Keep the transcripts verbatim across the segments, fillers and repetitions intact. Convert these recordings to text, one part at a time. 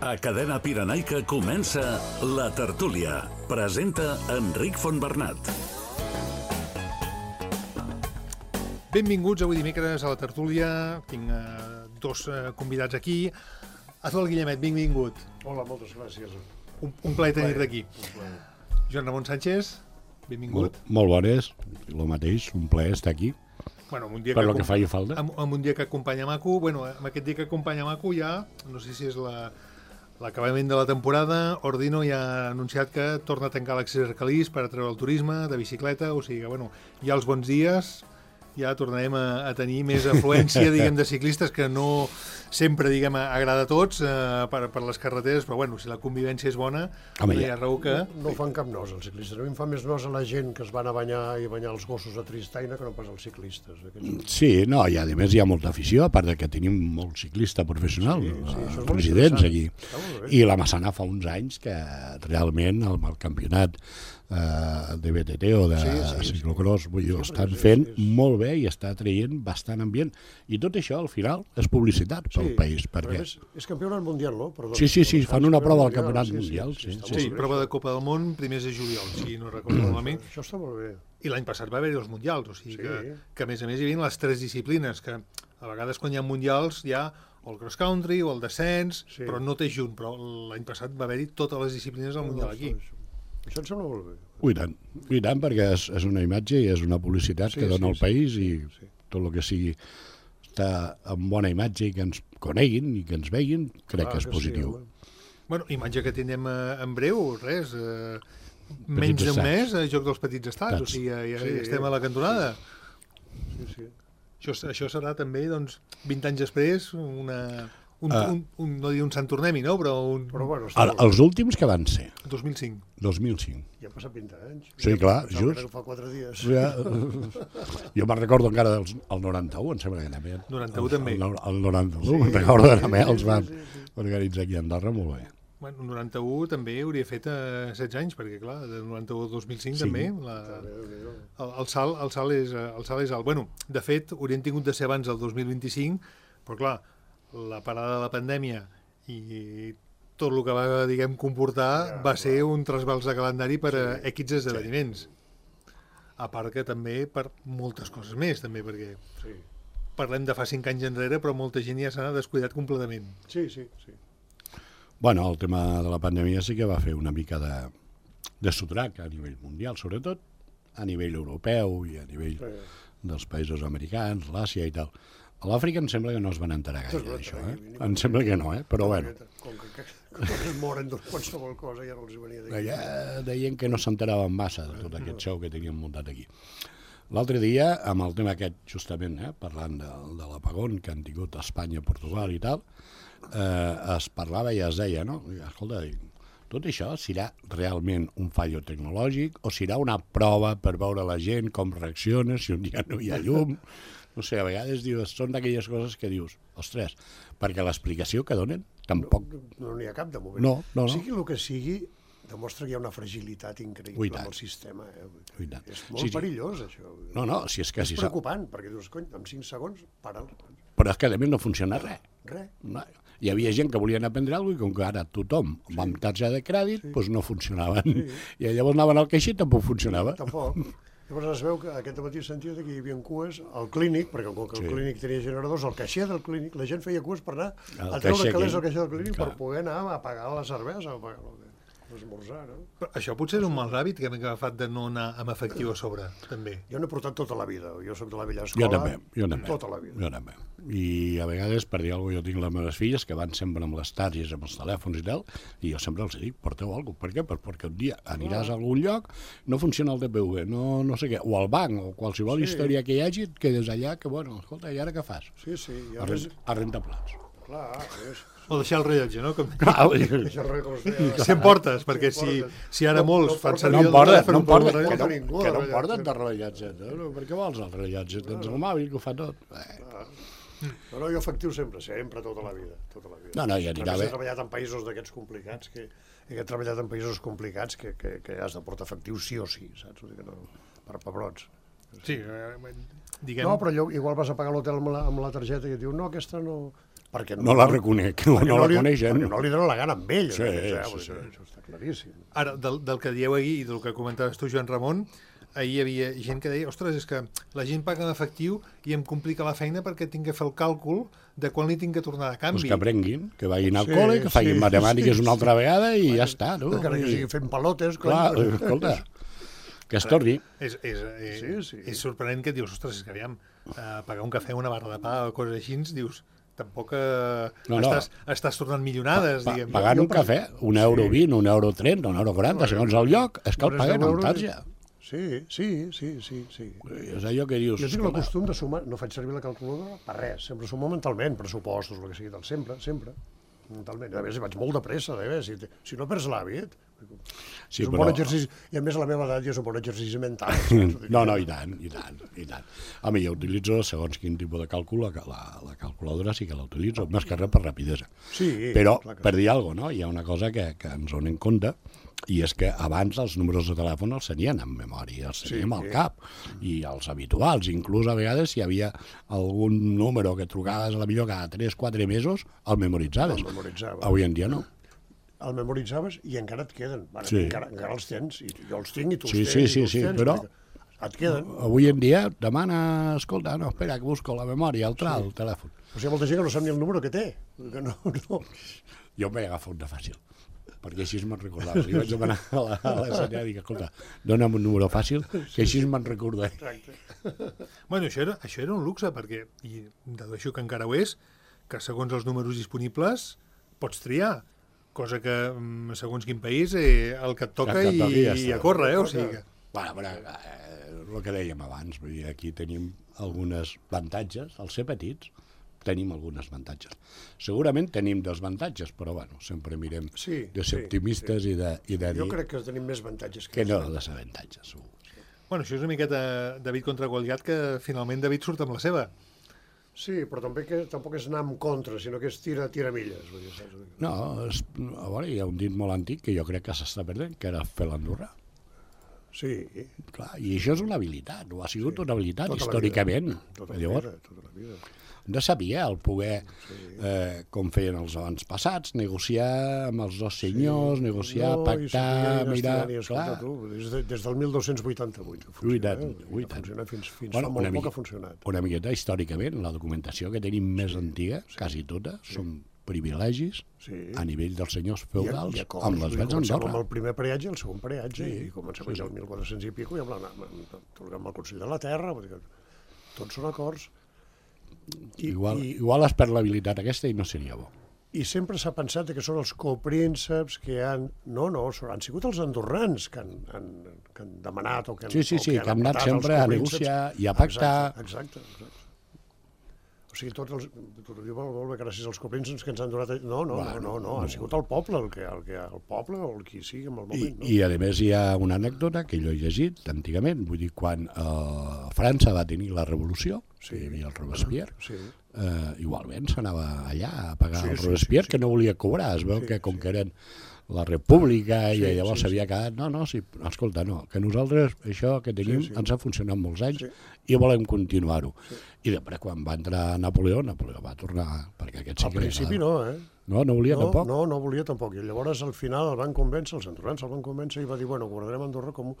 A Cadena Pirenaica comença La Tertúlia. Presenta Enric Fontbernat. Benvinguts avui dimecres a La Tertúlia. Tinc uh, dos uh, convidats aquí. Azol Guillemet, benvingut. Hola, moltes gràcies. Un, un plaer tenir-te aquí. Joan Ramon Sánchez, benvingut. Molt, molt bones, el mateix, un plaer estar aquí. Bueno, un dia per que lo que faci falta. Amb, amb un dia que acompanya Maco, bueno, amb aquest dia que acompanya Maco ja, no sé si és la... l'acabament de la temporada. Ordino ja ha anunciat que torna a tancar l'accés a Calís per atreure el turisme de bicicleta, o sigui que, bueno, ja els bons dies ja tornarem a, a tenir més afluència, diguem, de ciclistes, que no sempre, diguem, agrada a tots eh, per, per les carreteres, però, bueno, si la convivència és bona, Home, no hi ha raó que... No, no fan cap nos, els ciclistes. A mi em fa més nos a la gent que es van a banyar i banyar els gossos a Tristaina que no pas als ciclistes. Aquests... Sí, no, i a més hi ha molta afició, a part de que tenim molt ciclista professional, Sí, sí, això és molt presidents interessant. aquí. Està molt bé. I la Massana fa uns anys que realment el, el campionat eh, de B T T o de Sí, sí, sí. ciclocross, vull dir, ho Sí, estan sí, fent sí, sí. molt bé i està traient bastant ambient. I tot això, al final, és publicitat pel país, perquè... És, és campionat mundial, no? Perdó, Sí, sí, sí, fan una prova al campionat campionat mundial, sí, està sí, molt Sí, bé, prova això. de Copa del Món, primers de juliol, si no recordo malament. Això està molt bé. I l'any passat va haver-hi els mundials, o sigui Sí. que, que a més a més hi havia les tres disciplines, que a vegades quan hi ha mundials hi ha o el cross country o el descens, Sí. però no té junt, però l'any passat va haver-hi totes les disciplines del mundial aquí. Això, això em sembla molt bé. I tant, i tant, perquè és, és una imatge i és una publicitat Sí, que dona sí, al sí, país sí, i sí. tot el que sigui està en bona imatge i que ens coneguin i que ens veguin, crec Clar que és que sí, positiu. home. Bueno, imatge que tindrem eh, en breu, res, eh, menys d'un estats. mes, a Joc dels Petits Estats, o Estats. sigui, ja, ja Sí. estem a la cantonada. Sí, sí. Això, això serà també, doncs, vint anys després, una, un, Ah. un, un, no dir un Sant Tornem-hi, no? Però un Però bueno, està El, molt bé. els últims que van ser, dos mil cinc. dos mil cinc. Ja han passat vint anys. Sí, Ja clar, pensava just. que Fa quatre dies. Ja, jo me'n recordo encara del el noranta-u, em sembla que també. noranta-u el, també. El, el noranta-u, sí, me'n recordo que també sí, els sí, van sí, sí. organitzar aquí a Andorra molt bé. Bueno, noranta-u també hauria fet eh, setze anys, perquè, clar, de noranta-u a dos mil cinc Sí. també, la, Déu-n'hi-do. el, el, salt, el, salt és, eh, el salt és alt. Bueno, de fet, haurien tingut de ser abans del dos mil vint-i-cinc, però, clar, la parada de la pandèmia i tot el que va, diguem, comportar Ja, va clar. ser un trasbals de calendari per a Sí. equips esdeveniments. A part que també per moltes coses més, també, perquè Sí, parlem de fa cinc anys enrere, però molta gent ja s'ha descuidat completament. sí, sí. sí. Bueno, el tema de la pandèmia sí que va fer una mica de, de sotrac a nivell mundial, sobretot a nivell europeu i a nivell Sí. dels països americans, l'Àsia i tal. A l'Àfrica em sembla que no es van enterar No es gaire van d'això, enterar, eh? ni- ni- Em sembla que no, eh? Però bueno, Com que, que, com que es moren de qualsevol cosa, ja no els hi venia d'aquí. allà deien que no s'enteraven massa de tot aquest show que tenien muntat aquí. L'altre dia, amb el tema aquest, justament, eh, parlant de, de l'apagón que han tingut a Espanya, Portugal i tal, eh, es parlava i es deia, no? Escolta, dic, tot això serà realment un fallo tecnològic o serà una prova per veure la gent com reacciona si un dia no hi ha llum? No sé, a vegades dius, són d'aquelles coses que dius, ostres, perquè l'explicació que donen tampoc... No n'hi ha cap de moment. No, no, no. Sigui el que sigui, demostra que hi ha una fragilitat Ui, increïble tant. amb el sistema. Eh? Ui, tant. És molt Sí, sí. perillós, això. No, no, si és que... És Si sa... preocupant, perquè dius, cony, en cinc segons, para'l. Però és que a més no funciona res. Res. No. Hi havia gent que volien aprendre alguna cosa i com que ara tothom sí. amb targeta de crèdit, sí. doncs no funcionaven. Sí. I llavors anaven al caixer i tampoc funcionava. Tampoc. Llavors es veu que aquest matí sentia que hi havia cues al clínic, perquè com que el Sí. clínic tenia generadors, al caixer del clínic, la gent feia cues per anar Al a treure caixer calés aquell. al caixer del clínic Clar. per poder anar a pagar la cervesa o pagar l'esmorzar, no? Però això potser és un mal hàbit que hem agafat de no anar amb efectiu a sobre, també. Jo n'he portat tota la vida, jo soc de la vella Jo escola, també, jo també. tota la vida. Jo també. I a vegades, per dir alguna cosa, jo tinc les meves filles que van sempre amb les tàries, amb els telèfons i tal, i jo sempre els dic, porteu alguna cosa. Per què? Per, perquè un dia aniràs a algun lloc, no funciona el T P V, no, no sé què, o al banc, o qualsevol Sí. història que hi hagi, et quedes allà, que bueno, escolta, i ara què fas? Sí, sí, ja A, res... rent, a rentar plats. Clar, és... O deixar el rellotge, no? Com... Clar, Això res com es deia. Si em portes, perquè si, si ara No- molts no fan porta- servir no em el porten, telèfon no em per porten, el que rellotge, no, ningú que el no em rellotge. porten de rellotge. No? Per què vols el rellotge? Tens el mòbil que ho fa tot. Eh. No, no, jo efectiu sempre, sempre, tota la vida. Tota la vida. No, no, i A anirà més, bé. he treballat en països d'aquests complicats, que, he treballat en països complicats que, que, que has de portar efectiu sí o sí, saps? Vull dir que no, per pebrots. Sí, eh, diguem... No, però allò, igual vas a pagar l'hotel amb, la, amb la targeta i et diu, no, aquesta no... perquè no la reconec, no, no la coneixen. Perquè no li donen la gana amb ell. Sí, eh? sí, sí. Això està claríssim. Ara, del, del que dieu ahir i del que comentaves tu, Joan Ramon, ahir hi havia gent que deia, ostres, és que la gent paga en efectiu i em complica la feina perquè tinc que fer el càlcul de quan li tinc que tornar de canvi. Pues que aprenguin, que vagin al Sí, col·le, que facin sí, matemàtiques sí, una altra sí. vegada i ja està. No? Encara que sigui fent palotes. Clar, cony. escolta, que es torni. És, és, és, Sí, sí. és sorprenent que et dius, ostres, és que aviam, eh, pagar un cafè, una barra de pa o coses així, ens dius, tampoc eh, No, no. Estàs, estàs tornant milionades, Pa, diguem. pagant un cafè, un euro Sí. vint, un euro trenta, un euro quaranta, segons el lloc, és que el Res paguen deu amb euros. tarja. Sí, sí, sí, sí, sí. És allò que dius... Jo tinc el escolta, costum de sumar, no faig servir la calculadora per res, sempre sumo mentalment, pressupostos, el que sigui, tal, sempre, sempre, mentalment. A més, vaig molt de pressa, eh? si, si no perds l'hàbit, Sí, és un però- bon exercici, i a més a la meva edat ja és un bon exercici mental. No, no, i tant, i tant, i tant. Home, jo utilitzo, segons quin tipus de càlcul, la, la, la calculadora sí que la utilitzo, més que res per rapidesa. Sí, Però, clar que per dir alguna cosa, no? Hi ha una cosa que, que ens donem compte, i és que abans els números de telèfon els tenien en memòria, els teníem Sí. al cap, i els habituals, inclús a vegades si hi havia algun número que trucaves a la millor cada tres quatre mesos, el memoritzaves. El memoritzaves. Avui en dia no. El memoritzaves i encara et queden. Bueno, Sí. encara, encara els tens, i jo els tinc i tu els Sí, tens, sí, i sí, tu els sí, tens, però- vull dir que et queden. Avui en dia demana, escolta, no, espera, que busco la memòria, el tral, el telèfon. O sigui, hi ha molta gent que no sap ni el número que té. Que no, no. Jo em vaig agafar una fàcil, perquè així me'n recordava. Li vaig demanar a la, a la senyora i dic, escolta, dona'm un número fàcil, que així me'n recordaré. Exacte. Bueno, això era, això era un luxe, perquè, i dedueixo que encara ho és, que segons els números disponibles pots triar, cosa que mm, segons quin país eh, el que et toca El que et i, toqui ja i està. a córrer, eh? O sigui que... Bueno, però, eh, el que dèiem abans, vull dir, aquí tenim algunes avantatges, al ser petits, tenim algunes avantatges. Segurament tenim desavantatges, però bueno, sempre mirem Sí, de ser sí, optimistes sí. i de, i de Jo dir crec que tenim més avantatges que, que no desavantatges, segur. Bueno, això és una miqueta David contra Goliat, que finalment David surt amb la seva. Sí, però també que tampoc és anar en contra, sinó que és tira, tira milles. Vull dir, saps? No, és, a veure, hi ha un dit molt antic que jo crec que s'està perdent, que era fer l'Andorra. Sí, Clar, i això és una habilitat, o ha sigut Sí. una habilitat Tota la històricament. vida. Tota la Llavors, vida, tota la vida. de saber el poder, eh, com feien els abans passats, negociar amb els dos senyors, negociar, No, i pactar, saber mirar... estirant i escolta, Clar, tu, des, de, des del mil dos-cents vuitanta-vuit que funciona. Ui, tant, eh? ui, Que tant. funciona fins, fins Bueno, fa una molt poc mica- ha funcionat. una miqueta històricament, la documentació que tenim més antiga, quasi tota, són privilegis Sí. a nivell dels senyors I a- feudals i a cops, amb les vull dir, veus comencem d'Andorra. amb el primer peatge, el segon peatge, Sí, i comencem sí, sí, sí. el mil quatre-cents i pico, i amb, la, amb, amb, amb el Consell de la Terra, vull dir que tots són acords. I, Igual, i, igual es perd l'habilitat aquesta i no seria bo. I sempre s'ha pensat que són els coprínceps que han... No, no, són- han sigut els andorrans que han, han, que han demanat o que han, Sí, sí, o sí, que han anat apretat els sempre a coprínceps. negociar i a pactar. Exacte, exacte, exacte. O sigui, tots els... Tu ho diu molt, molt bé, gràcies als coprínceps que ens han donat... No, no, Bueno, no, no, no, ha sigut el poble, el que, el que el poble o el qui sigui en el I, moment, no? I a més hi ha una anècdota que jo he llegit antigament, vull dir, quan eh, França va tenir la revolució, sí. Sí. Hi havia el Robespierre, Sí. eh, igualment s'anava allà a pagar Sí, el sí, Robespierre, sí, sí. que no volia cobrar, es veu Sí, que com sí. que eren la república Sí, i llavors sí, s'havia quedat, no, no, sí, escolta, no, que nosaltres això que tenim Sí, sí. ens ha funcionat molts anys Sí. i volem continuar-ho. I després quan va entrar Napoleó, Napoleó va tornar, perquè aquest sí Al que li principi agradava. no, eh? No, no volia No, tampoc. no, no volia tampoc. I llavors al final el van convèncer, els andorrans el van convèncer i va dir, bueno, guardarem Andorra com,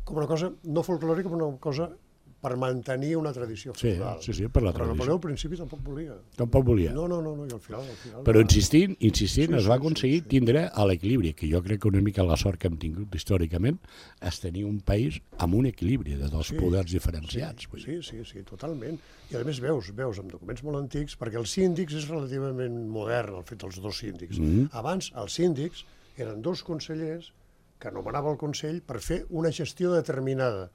com una cosa no folclòrica, però una cosa per mantenir una tradició Sí, feudal. sí, sí, per la Però tradició. Napoleó al principi tampoc volia. Tampoc volia. No, no, no, no, i al final... Al final Però va- insistint, insistint, Sí, es va sí, aconseguir sí, sí. tindre a l'equilibri, que jo crec que una mica la sort que hem tingut històricament és tenir un país amb un equilibri de dos Sí, poders diferenciats. vull dir. Sí, sí, sí, totalment. I a més veus, veus amb documents molt antics, perquè els síndics és relativament modern, el fet dels dos síndics. Mhm. Abans, els síndics eren dos consellers que anomenava el Consell per fer una gestió determinada.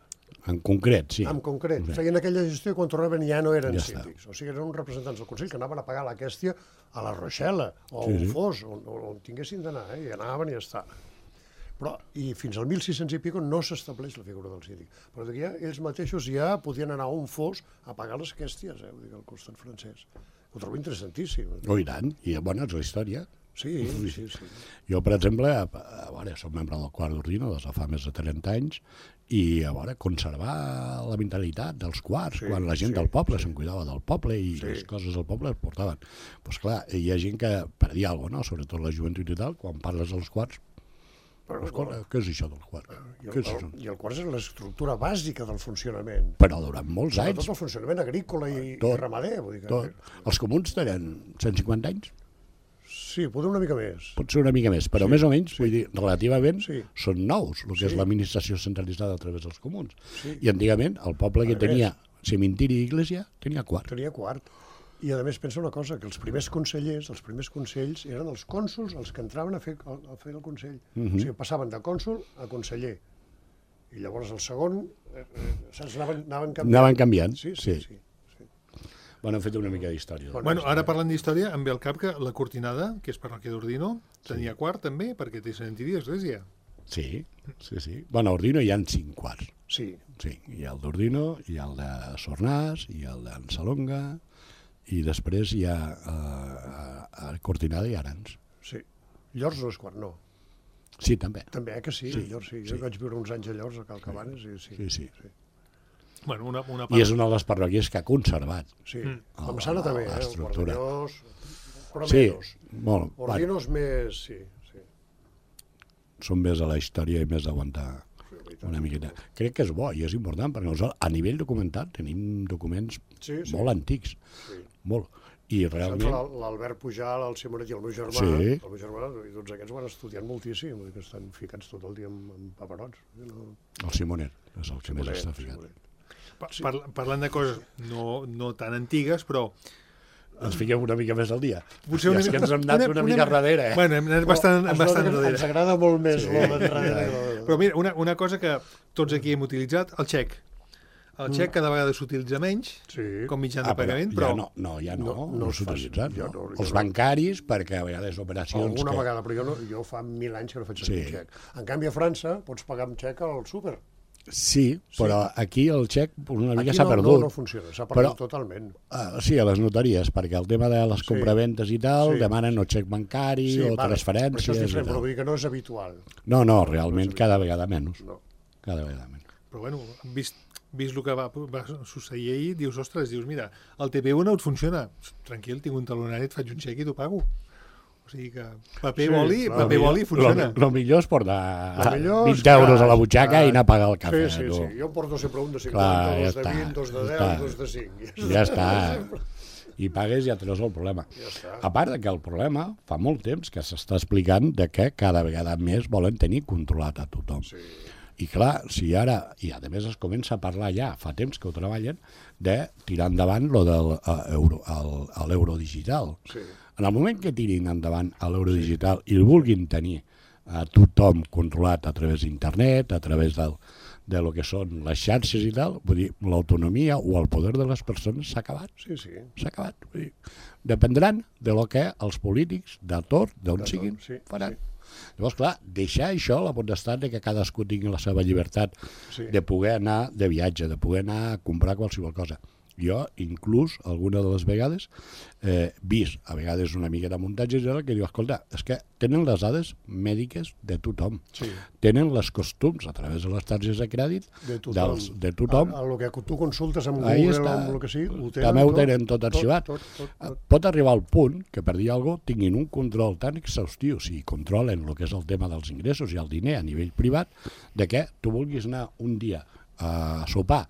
En concret, sí. En concret, Sí. feien aquella gestió i quan tornaven ja no eren Ja està. síndics. O sigui, eren uns representants del Consell que anaven a pagar la quèstia a la Rochela o Sí, on sí. fos, on, on tinguessin d'anar, eh? I anaven i ja està. Però, i fins al mil sis-cents i pico no s'estableix la figura del síndic. Però d'aquí ja, ells mateixos ja podien anar on fos a pagar les quèsties, eh? Vull dir, al costat francès. Ho trobo interessantíssim. Oh, i tant. I, bueno, és la història. Sí, sí, sí. Jo, per exemple, a, a veure, soc membre del quart d'ordino des de fa més de trenta anys i a veure, conservar la mentalitat dels quarts, Sí, quan la gent sí, del poble sí. se'n cuidava del poble i Sí. les coses del poble es portaven. Doncs pues clar, hi ha gent que perdia alguna cosa, no? Sobretot la joventut i tal, quan parles dels quarts, Però, escolta, què és això del quart? I Què el, és això? el, I el quart és l'estructura bàsica del funcionament. Però durant molts Sobretot anys, el funcionament agrícola i, Tot, i ramader. Vull dir que, tot. Els comuns tenen cent cinquanta anys, Sí, potser una mica més. pot ser una mica més, però Sí, més o menys, sí. vull dir, relativament, Sí. són nous, el que és Sí. l'administració centralitzada a través dels comuns. Sí. I antigament, el poble que A més. tenia cementiri i iglesia, tenia quart. Tenia quart. I a més pensa una cosa, que els primers consellers, els primers consells, eren els cònsols els que entraven a fer, a fer el consell. Mhm. O sigui, passaven de cònsol a conseller. I llavors el segon, eh, eh, saps, anaven, anaven canviant. Anaven canviant, Sí, sí, sí. sí. sí. Bueno, hem fet una mica d'història. Bueno, Bueno, ara parlant d'història, em ve al cap que la Cortinada, que és parròquia d'Ordino, tenia quart també, perquè té cementiri d'església. Sí, sí, sí. Bueno, a Ordino hi ha cinc quarts. Sí, Sí, hi ha el d'Ordino, hi ha el de Sornàs, hi ha el d'Ensalonga, i després hi ha eh, a, a Cortinada i Arans. sí. Llors no és quart, no. Sí, també. També, eh, que sí, Sí, Llors sí. sí. Jo vaig viure uns anys a Llors, a Cal Cabanes, i sí. Sí, sí. Bueno, una, una I és una de les parròquies que ha conservat. Sí, Mm. la Massana també, eh? El L'estructura. Guardellós, però Sí, menys. molt. Bueno, Ordinos més, sí, sí. són més a la història i més d'aguantar sí, la veritat. una miqueta. Crec que és bo i és important, perquè nosaltres, a nivell documental, tenim documents Sí, sí. molt antics, Sí. molt. I Saps, realment... l'Al- l'Albert Pujal, el Simonet i el meu germà, Sí. el meu germà, i tots aquests van estudiant moltíssim, vull dir que estan ficats tot el dia amb, amb paperots. No? El Simonet és el que més Simonet, està ficat. Simonet. Pa par parlant de coses no, no tan antigues, però Ens fiquem una mica més al dia. potser I una és que mica... ens hem anat una, mica darrere, eh? Bueno, hem anat bastant, Però ens bastant nota que darrere. Ens agrada molt més sí. l'enrere. Però mira, una, una cosa que tots aquí hem utilitzat, el xec. El xec cada vegada s'utilitza menys, Sí. com mitjà de Ah, pagament, però però... ja no, no, ja no, No, no, no no es fa- s'utilitzen. ja No. no, ja Els no. bancaris, perquè a vegades operacions Alguna que... vegada, però jo, no, jo fa mil anys que no faig servir Sí. sí. xec. En canvi, a França pots pagar amb xec al súper. Sí, però aquí el xec una mica Aquí s'ha no, perdut. no, no funciona, s'ha perdut Però- totalment. Ah, sí, a les notaries, perquè el tema de les Sí. compraventes i tal, Sí. demanen o xec bancari o vale, però això és transferències i diferent, però tal. vull dir que no és habitual. No, no, realment cada vegada menys. No. Cada vegada menys. Però bueno, vist, vist el que va, va succeir ahir, dius, ostres, dius, mira, el T P U no et funciona. Tranquil, tinc un talonari, et faig un xec i t'ho pago. O sigui que paper Sí, boli, clar. paper boli funciona. El millor és portar Lo millor és vint euros a la cas, butxaca clar. i anar a pagar el cafè. Sí, sí, tu. sí. Jo em porto sempre un de cinquanta, Clar, ja dos de està, vint, dos de ja deu, està. dos de cinc. Ja està. I pagues i ja treus el problema. Ja està. A part de que el problema fa molt temps que s'està explicant de que cada vegada més volen tenir controlat a tothom. Sí. I clar, si ara, i a més es comença a parlar ja, fa temps que ho treballen, de tirar endavant lo del uh, euro, el, el euro digital. Sí. En el moment que tirin endavant l'euro digital i el vulguin tenir a tothom controlat a través d'internet, a través del, de lo que són les xarxes i tal, vull dir, l'autonomia o el poder de les persones s'ha acabat. Sí, sí. S'ha acabat. Vull dir, dependran de lo que els polítics de tot, d'on De tot, siguin, sí, faran. sí. Llavors, clar, deixar això, la potestat de que cadascú tingui la seva llibertat Sí. de poder anar de viatge, de poder anar a comprar qualsevol cosa. Jo, inclús, alguna de les vegades, eh, vist, a vegades una mica de muntatge, que diu, escolta, és que tenen les dades mèdiques de tothom, Sí. tenen les costums a través de les targetes de crèdit De tothom. dels, de tothom. A, a lo que tu consultes amb Ahí Google està. o amb el que sigui, ho tenen També ho tot, tenen tot arxivat. Tot, tot, tot, tot. Pot arribar al punt que, per dir alguna cosa, tinguin un control tan exhaustiu, si controlen el que és el tema dels ingressos i el diner a nivell privat, de que tu vulguis anar un dia a sopar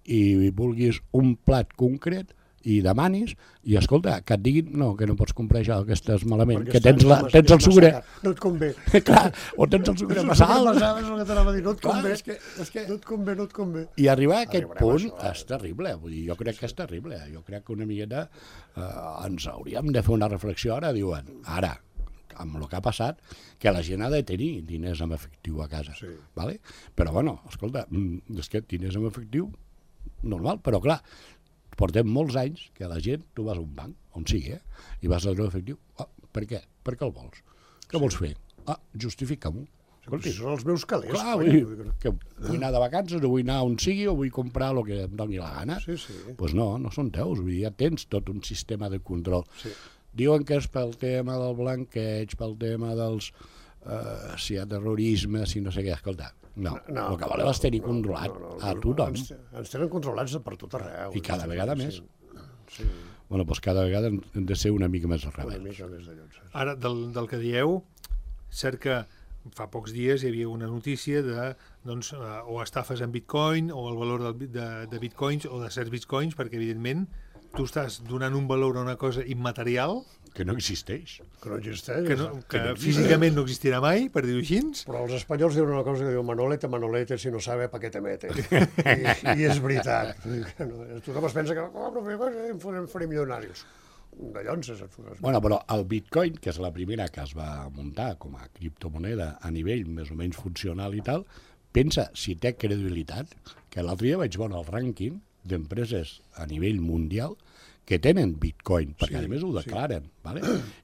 i vulguis un plat concret i demanis, i escolta, que et diguin no, que no pots comprar això, que estàs malament, Perquè que està- tens, la, és tens el massa sucre... car. No et convé. Clar, o tens el sucre És massa alt. massa alt, és el que t'anava a dir, no et Clar, convé. és que, és que... No et convé, no et convé. I arribar a aquest Arribarem punt a això, eh? és terrible, vull dir, jo crec que és terrible. Jo crec que una miqueta eh, ens hauríem de fer una reflexió ara, diuen, ara, amb el que ha passat, que la gent ha de tenir diners en efectiu a casa. Sí. Vale? Però, bueno, escolta, mm, és que diners en efectiu, normal, però clar, portem molts anys que la gent, tu vas a un banc, on sigui, eh? I vas a treure efectiu. Ah, per què? Per què el vols? Què vols fer? Ah, justifica-m'ho. Si són els meus calés. Clar, coi, vull dir, vull dir que vull anar de vacances, o vull anar on sigui, o vull comprar el que em doni la gana. que- Sí, sí. Doncs pues no, no són teus, vull dir, ja tens tot un sistema de control. Sí. Diuen que és pel tema del blanqueig, pel tema dels... Eh, si hi ha terrorisme, si no sé què, escolta, No, No, el que voleu és tenir no, controlat no, no, a no, tothom. Ens, ens tenen controlats per tot arreu. I cada vegada Sí, més. Sí, Bueno, doncs cada vegada hem de ser una mica més una rebels. mica més de llocs. Ara, del, del que dieu, cert que fa pocs dies hi havia una notícia de doncs, eh, o estafes en bitcoin o el valor del, bit- de, de bitcoins o de certs bitcoins, perquè evidentment tu estàs donant un valor a una cosa immaterial Que no existeix. Que no existeix. que, no, Que que no físicament no existirà mai, per dir-ho així. Però els espanyols diuen una cosa que diu Manolete, Manolete, si no sabe, pa què te mete. I, I és veritat. No, tothom es pensa que oh, no, em farem, farem milionaris. De llonses. Bueno, però el bitcoin, que és la primera que es va muntar com a criptomoneda a nivell més o menys funcional i tal, pensa si té credibilitat, que l'altre dia vaig veure el rànquing d'empreses a nivell mundial que tenen bitcoin, perquè Sí, a més ho sí. declaren. Vale?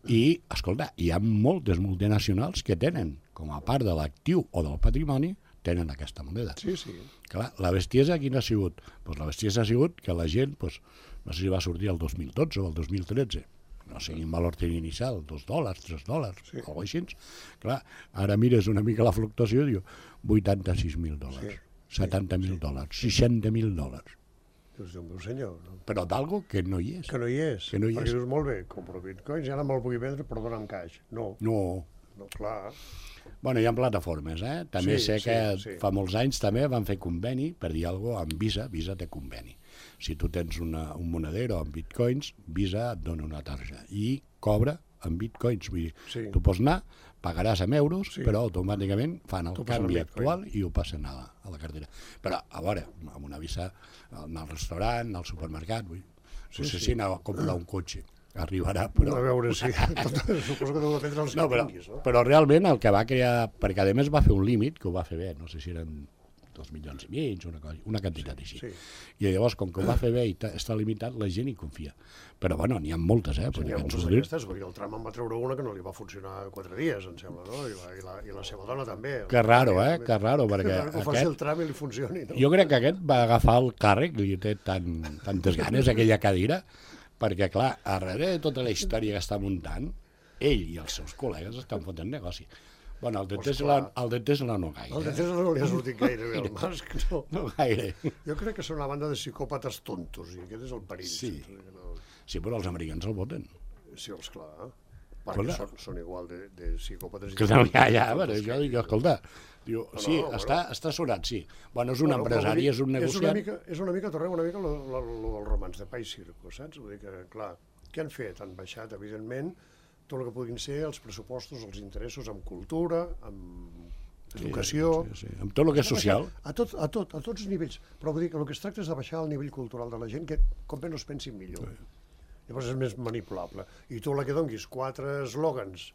I, escolta, hi ha moltes multinacionals que tenen, com a part de l'actiu o del patrimoni, tenen aquesta moneda. Sí, sí. Clar, la bestiesa quina ha sigut? Pues la bestiesa ha sigut que la gent, pues, no sé si va sortir el dos mil dotze o el dos mil tretze, no sé quin valor tenia inicial, dos dòlars, tres dòlars, sí. O alguna cosa així. Clar, ara mires una mica la fluctuació i diu vuitanta-sis mil dòlars, Sí. setanta mil dòlars, seixanta mil dòlars. Dius, Déu meu senyor, no? Però d'algo que no hi és. Que no hi és. Que no hi Perquè és. dius, molt bé, compro bitcoins i ara me'l vull vendre, però dona'm caix. No, No. no, clar. Bueno, hi ha plataformes, eh? També Sí, sé sí, que sí. fa molts anys també van fer conveni, per dir alguna cosa, amb Visa. Visa té conveni. Si tu tens una, un monedero amb bitcoins, Visa et dona una tarja i cobra amb bitcoins. Vull dir, Sí. tu pots anar, pagaràs amb euros, Sí. però automàticament fan el T'ho passen canvi en bitcoin. actual i ho passen a la, a la cartera. Però, a veure, amb una Visa, anar al restaurant, al supermercat, vull dir, Sí, potser sí. sí, anar a comprar un cotxe. Arribarà, però... A veure si... Tot, suposo que deu dependre dels No, que però, tinguis, no? però realment el que va crear, perquè a més va fer un límit, que ho va fer bé, no sé si eren dos milions i mig, una, cosa, una quantitat així. Sí. I llavors, com que ho va fer bé i ta- està limitat, la gent hi confia. Però bueno, n'hi ha moltes, eh? Sí, Vull n'hi dir ha que ens moltes ho diu. d'aquestes, vull dir, el Trump en va treure una que no li va funcionar quatre dies, em sembla, no? I la, i la, i la seva dona també. Que raro, eh? Que raro, perquè Que, que ho faci el aquest... Trump i li funcioni, no? Jo crec que aquest va agafar el càrrec, li té tan, tantes ganes, aquella cadira, perquè, clar, darrere de tota la història que està muntant, ell i els seus col·legues estan fotent negoci. Bueno, el de Pues Tesla, clar. el de Tesla no gaire. El de Tesla no li ha sortit gaire bé, el Musk, no. No gaire. Jo crec que són una banda de psicòpates tontos, i aquest és el perill. Sí. sempre, que no... Sí, però els americans el voten. Sí, els clar. Perquè Escolta. són, són igual de, de psicòpates. i Que no, ja, ja, tontos bueno, que jo ell. dic, escolta, diu, No, sí, no, està, bueno. està sonat, sí. Bueno, és un Bueno, però empresari, vull dir, és un És una negociant. mica, és una mica Torrent, una mica lo, lo, lo del romanç de Pa i Circo, saps? Vull dir que, clar, què han fet? Han baixat, evidentment, tot el que puguin ser els pressupostos, els interessos en cultura, en educació... Sí, sí, amb tot el que és social. A, tot, a, tot, a tots els nivells. Però vull dir que el que es tracta és de baixar el nivell cultural de la gent, que com menys pensin millor. Llavors és més manipulable. I tu la que donguis quatre eslògans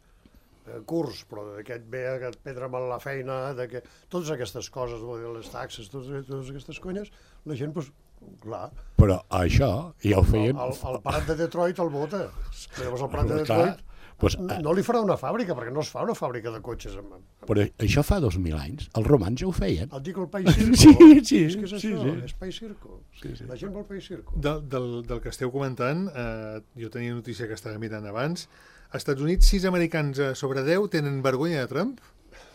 eh, curts, però d'aquest ve a et prendre mal la feina, de que... totes aquestes coses, vull dir, les taxes, totes, totes aquestes conyes, la gent, doncs, clar, Però això ja ho el, feien... el, el parat de Detroit el vota. Llavors el parat de Clar, Detroit pues, no, no li farà una fàbrica, perquè no es fa una fàbrica de cotxes. Amb, amb, Però això fa dos mil anys. Els romans ja ho feien. et dic el Pa i Circo. Sí, sí, és que és sí, això, sí. és Pa i Circo. Sí, sí. La gent vol Pa i Circo. Del, del, del que esteu comentant, eh, jo tenia notícia que estava mirant abans, als Estats Units, sis americans eh, sobre deu tenen vergonya de Trump,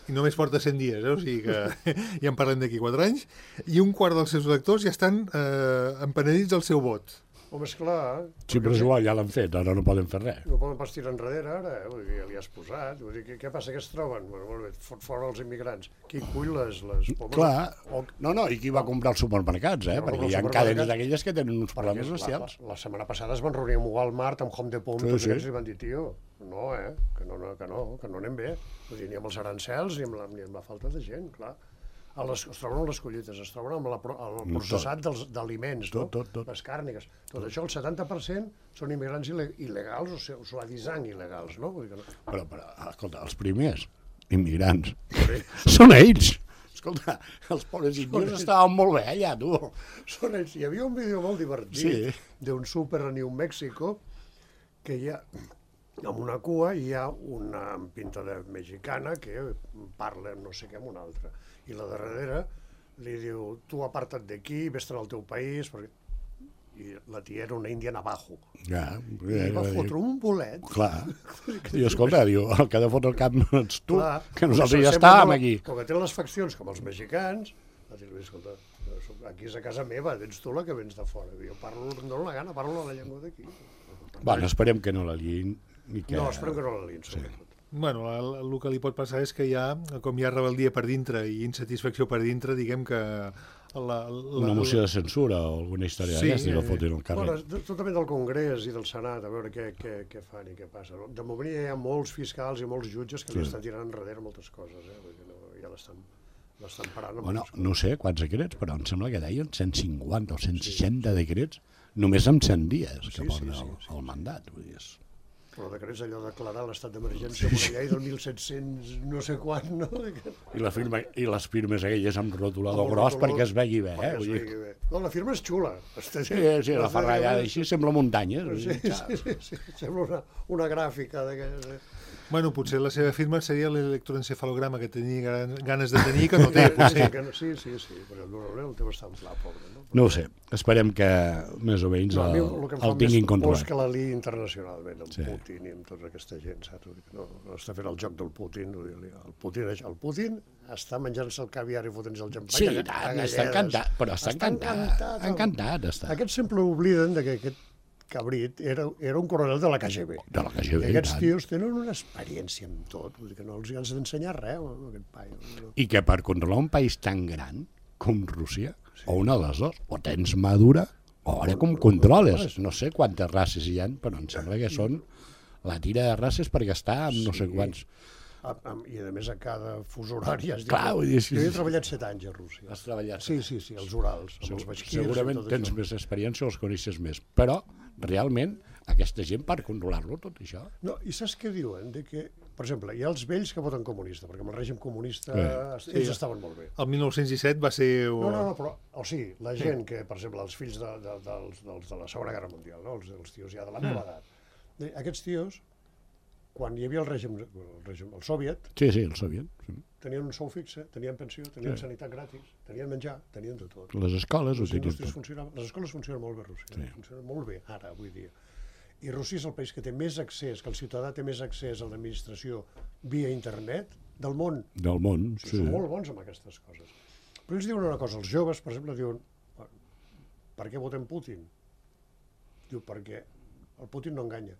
i només porta cent dies, eh? O sigui que ja en parlem d'aquí quatre anys, i un quart dels seus electors ja estan eh, empenedits al seu vot. Home, esclar... Sí, però és igual, ja l'han fet, ara no poden fer res. No poden pas tirar enrere, ara, eh? Vull dir, ja li has posat. Vull dir, què, què passa, que es troben? Bueno, molt bé, fot fora els immigrants. Qui cull les, les pomes? Clar, O, no, no, i qui va comprar els supermercats, eh? Qui va Perquè comprar hi ha els cadenes supermercats? d'aquelles que tenen uns perquè problemes la, bestials. la, la setmana passada es van reunir amb Walmart, amb Home Depot, amb Sí, tots sí. aquests i van dir, tio, no, eh? Que no, no, que no, que no anem bé. Vull dir, ni amb els arancels ni amb la, ni amb la falta de gent, clar. A les, es troben amb les collites, es troben amb la, pro- el Tot. processat dels, d'aliments, no? Tot, tot, tot. Les càrniques. Tot això, el setanta per cent són immigrants il·le- il·legals o seu- suavitzant il·legals, no? Vull dir que no. Però, però, escolta, els primers immigrants són ells. Escolta, els pobres indios ells. estaven molt bé allà, tu. Són ells. Hi havia un vídeo molt divertit Sí. d'un súper a New Mexico que hi ha, amb una cua hi ha una amb pinta de mexicana que parla no sé què amb una altra. I la darrere li diu, tu aparta't d'aquí, vés-te'n al teu país, perquè... I la tia era una índia navajo. Ja, I va fotre un bolet. Clar. I escolta, diu, el que ha de fotre el cap no ets tu, Clar, que nosaltres això ja sembla estàvem no, aquí. Com que tenen les faccions com els mexicans, va dir, escolta, aquí és a casa meva, ets tu la que vens de fora. Jo parlo, em dono la gana, parlo la llengua d'aquí. Bueno, esperem que no la liïn. I que... No, esperem que no la liïn, sobretot. Bueno, el, el que li pot passar és que hi ha, com hi ha rebel·lia per dintre i insatisfacció per dintre, diguem que... La, la, Una moció de censura o alguna història Sí, d'aquesta i la eh, fotin al carrer. Bueno, tot depèn del Congrés i del Senat, a veure què, què, què fan i què passa. De moment ja hi ha molts fiscals i molts jutges que Sí. li estan tirant enrere moltes coses, eh? Vull dir, no, ja l'estan l'estan parant. amb Bueno, moltes no sé quants decrets, però em sembla que deien cent cinquanta o cent seixanta decrets només amb cent dies que Sí, porta sí, sí, el, sí. el mandat. Vull dir, és... Però decrets allò de declarar l'estat d'emergència amb una llei del mil set-cents no sé quan, no? I, la firma, I les firmes aquelles amb rotulador Amb gros rotulador, perquè es vegi bé. Eh? Perquè es Vull dir... vegui bé. No, la firma és xula. Sí, sí, la ferrallada així sembla muntanya. Sí, sí, sí, sí, sembla una, una gràfica d'aquelles. Eh? Bueno, potser la seva firma seria l'electroencefalograma que tenia gran- ganes de tenir que no té, potser. Sí, sí, sí, però el Neuronel el té bastant pla, pobre, no? No ho sé, esperem que més o menys No, a mi el, el que em fa el tinguin més por és controlat. que la liï internacionalment, amb Sí. Putin i amb tota aquesta gent, saps? Vull dir que No, no està fent el joc del Putin. Vull dir, el Putin, el Putin està menjant-se el caviar i fotent-se el xampany. Sí, a- i a tant, galledes. està encantat, però està encantat, el- encantat està. Aquests sempre obliden de que aquest cabrit era, era un coronel de la K G B. De la K G B, I aquests i tant. tios tenen una experiència amb tot, vull dir que no els has d'ensenyar res, amb aquest paio. No. I que per controlar un país tan gran com Rússia, o una de les dues, o tens madura, o ara com controles. No sé quantes races hi ha, però em sembla que són la tira de races perquè està amb no sé Sí. quants... A, a, I a més a cada fus horari has dit... Clar, vull dir, sí, Jo he sí. treballat set anys a Rússia. Has treballat. Sí, sí, sí, els Urals, amb els baixquirs... Segurament i tot tens això. més experiència o els coneixes més, però realment aquesta gent per controlar-lo tot això... No, i saps què diuen? De que, per exemple, hi ha els vells que voten comunista, perquè amb el règim comunista Sí. ells estaven molt bé. El mil nou-cents disset va ser... No, no, no, però, o sigui, la gent que, per exemple, els fills de, de, dels, dels de la Segona Guerra Mundial, no? els, els tios ja de la nova edat, eh, aquests tios, quan hi havia el règim, el, règim, el soviet, Sí, sí, el sabien. Sí. tenien un sou fixe, tenien pensió, tenien Sí. sanitat gratis, tenien menjar, tenien de tot. Les escoles ho Les tenien indústries tot. funcionaven, les escoles funcionen molt bé a Rússia, Sí. funcionen molt bé ara, avui dia. I Rússia és el país que té més accés, que el ciutadà té més accés a l'administració via internet del món. Del món, Sí. sí. Són molt bons amb aquestes coses. Però ells diuen una cosa, els joves, per exemple, diuen per què votem Putin? Diu, perquè el Putin no enganya.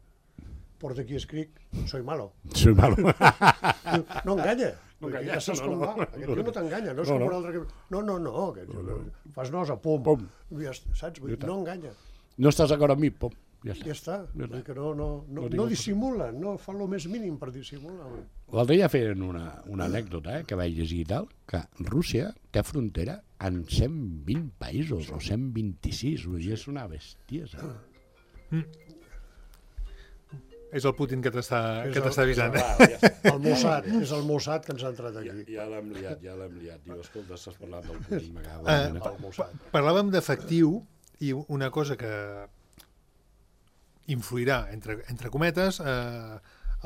Porta aquí escric, soy malo. Soy malo. Diu, no enganya. No Vull dir, enganya, ja saps no, com no. va. Aquest tio no t'enganya, no és No, com no. un altre que... No, no, no, que... fas nosa, pum. Pum. Ja, està, saps? Vull dir, no enganya. No estàs d'acord amb mi? Pum. Ja Ja està. està. Vull dir que no, no, no, No tinc no el- dissimula, no fa el més mínim per dissimular. L'altre dia feien una, una anècdota eh, que vaig llegir i tal, que Rússia té frontera en cent vint països, o cent vint-i-sis, vull dir, és una bestiesa. És el Putin que t'està És que el- t'està avisant. Va, ja està. El Mossad, és el Mossad que ens ha entrat Ja, aquí. ja l'hem liat, ja l'hem liat. Diu, escolta, estàs parlant del Putin, m'acaba Eh, de... El Mossad. Parlàvem d'efectiu i una cosa que influirà, entre, entre cometes, eh,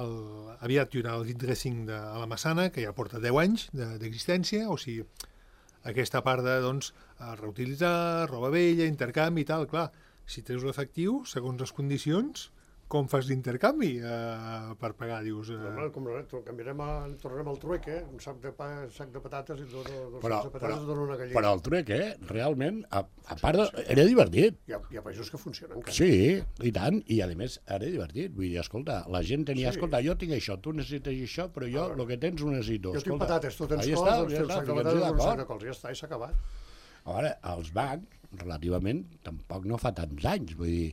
el, aviat hi haurà el vint cinc de a la Massana, que ja porta deu anys de- d'existència, o sigui, aquesta part de doncs, eh, reutilitzar, roba vella, intercanvi i tal, clar, si tens l'efectiu, segons les condicions, com fas l'intercanvi eh, per pagar, dius... Eh, Normal, com no, eh? canviarem a, tornarem al trueque, un sac de pa, sac de patates i et dono, dos Però, sacs de però, patates et dono una gallina. però el truc, eh, realment, a, a part, de, era divertit. Hi ha, hi ha països que funcionen. encara. Sí, i tant, i a més era divertit, vull dir, escolta, la gent tenia, Sí. escolta, jo tinc això, tu necessites això, però jo el que tens ho necessito. Jo tinc escolta, patates, tu tens ahí cols, està, doncs ja té un està, sac de fiquem-nos patates, un sac d'acord. de cols, ja està, i s'ha acabat. Ara, els bancs, relativament, tampoc no fa tants anys, vull dir,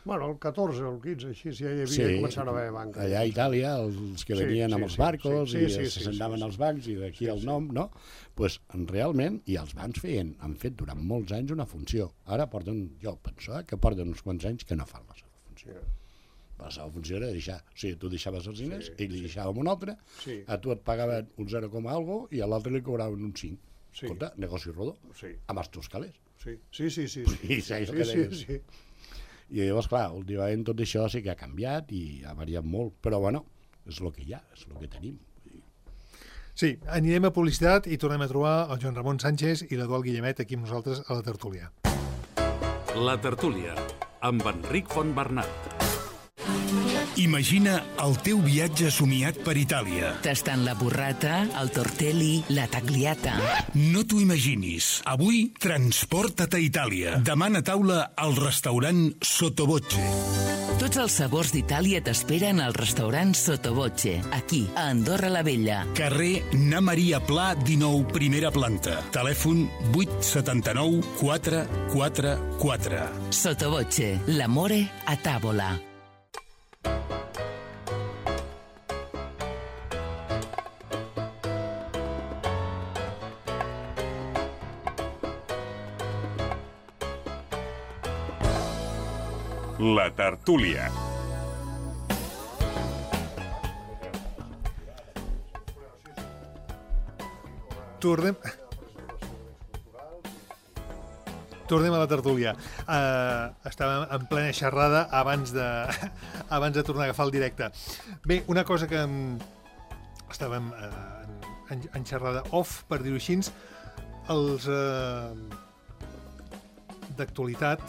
Bueno, el catorze o el quinze, així, ja hi havia, sí, sí, començant a haver banca. allà a Itàlia, els que Sí, venien sí, amb els sí, barcos sí, i sí, sí, se sí, sentaven sí, als bancs i d'aquí el nom, no? Pues, realment, i els bancs feien, han fet durant molts anys una funció. Ara porten, jo penso, eh, que porten uns quants anys que no fan la seva funció. La seva funció era deixar, o sigui, tu deixaves els diners, Sí, ell li deixava un altre, Sí. a tu et pagaven un zero, algo i a l'altre li cobraven un cinc. Sí. Escolta, negoci rodó, Sí, amb els teus calés. sí, sí, sí, sí. I sí, saps sí, què sí, deies? sí. I llavors, clar, últimament tot això sí que ha canviat i ha variat molt, però bueno, és el que hi ha, és el que tenim. Vull dir, Sí, anirem a publicitat i tornem a trobar el Joan Ramon Sánchez i l'Eduard Guillemet aquí amb nosaltres a la tertúlia. La tertúlia, amb Enric Fontbernat. Imagina el teu viatge somiat per Itàlia. Tastant la burrata, el tortelli, la tagliata. No t'ho imaginis. Avui, transporta't a Itàlia. Demana taula al restaurant Sottovoce. Tots els sabors d'Itàlia t'esperen al restaurant Sottovoce, aquí, a Andorra la Vella. Carrer Na Maria Pla, dinou, primera planta. Telèfon vuit set nou quatre quatre quatre. Sottovoce, l'amore a tavola. La tertúlia. Tornem... Tornem a la tertúlia. Uh, estàvem en plena xerrada abans de, abans de tornar a agafar el directe. Bé, una cosa que um, estàvem uh, en, en xerrada off, per dir-ho així, els uh, d'actualitat,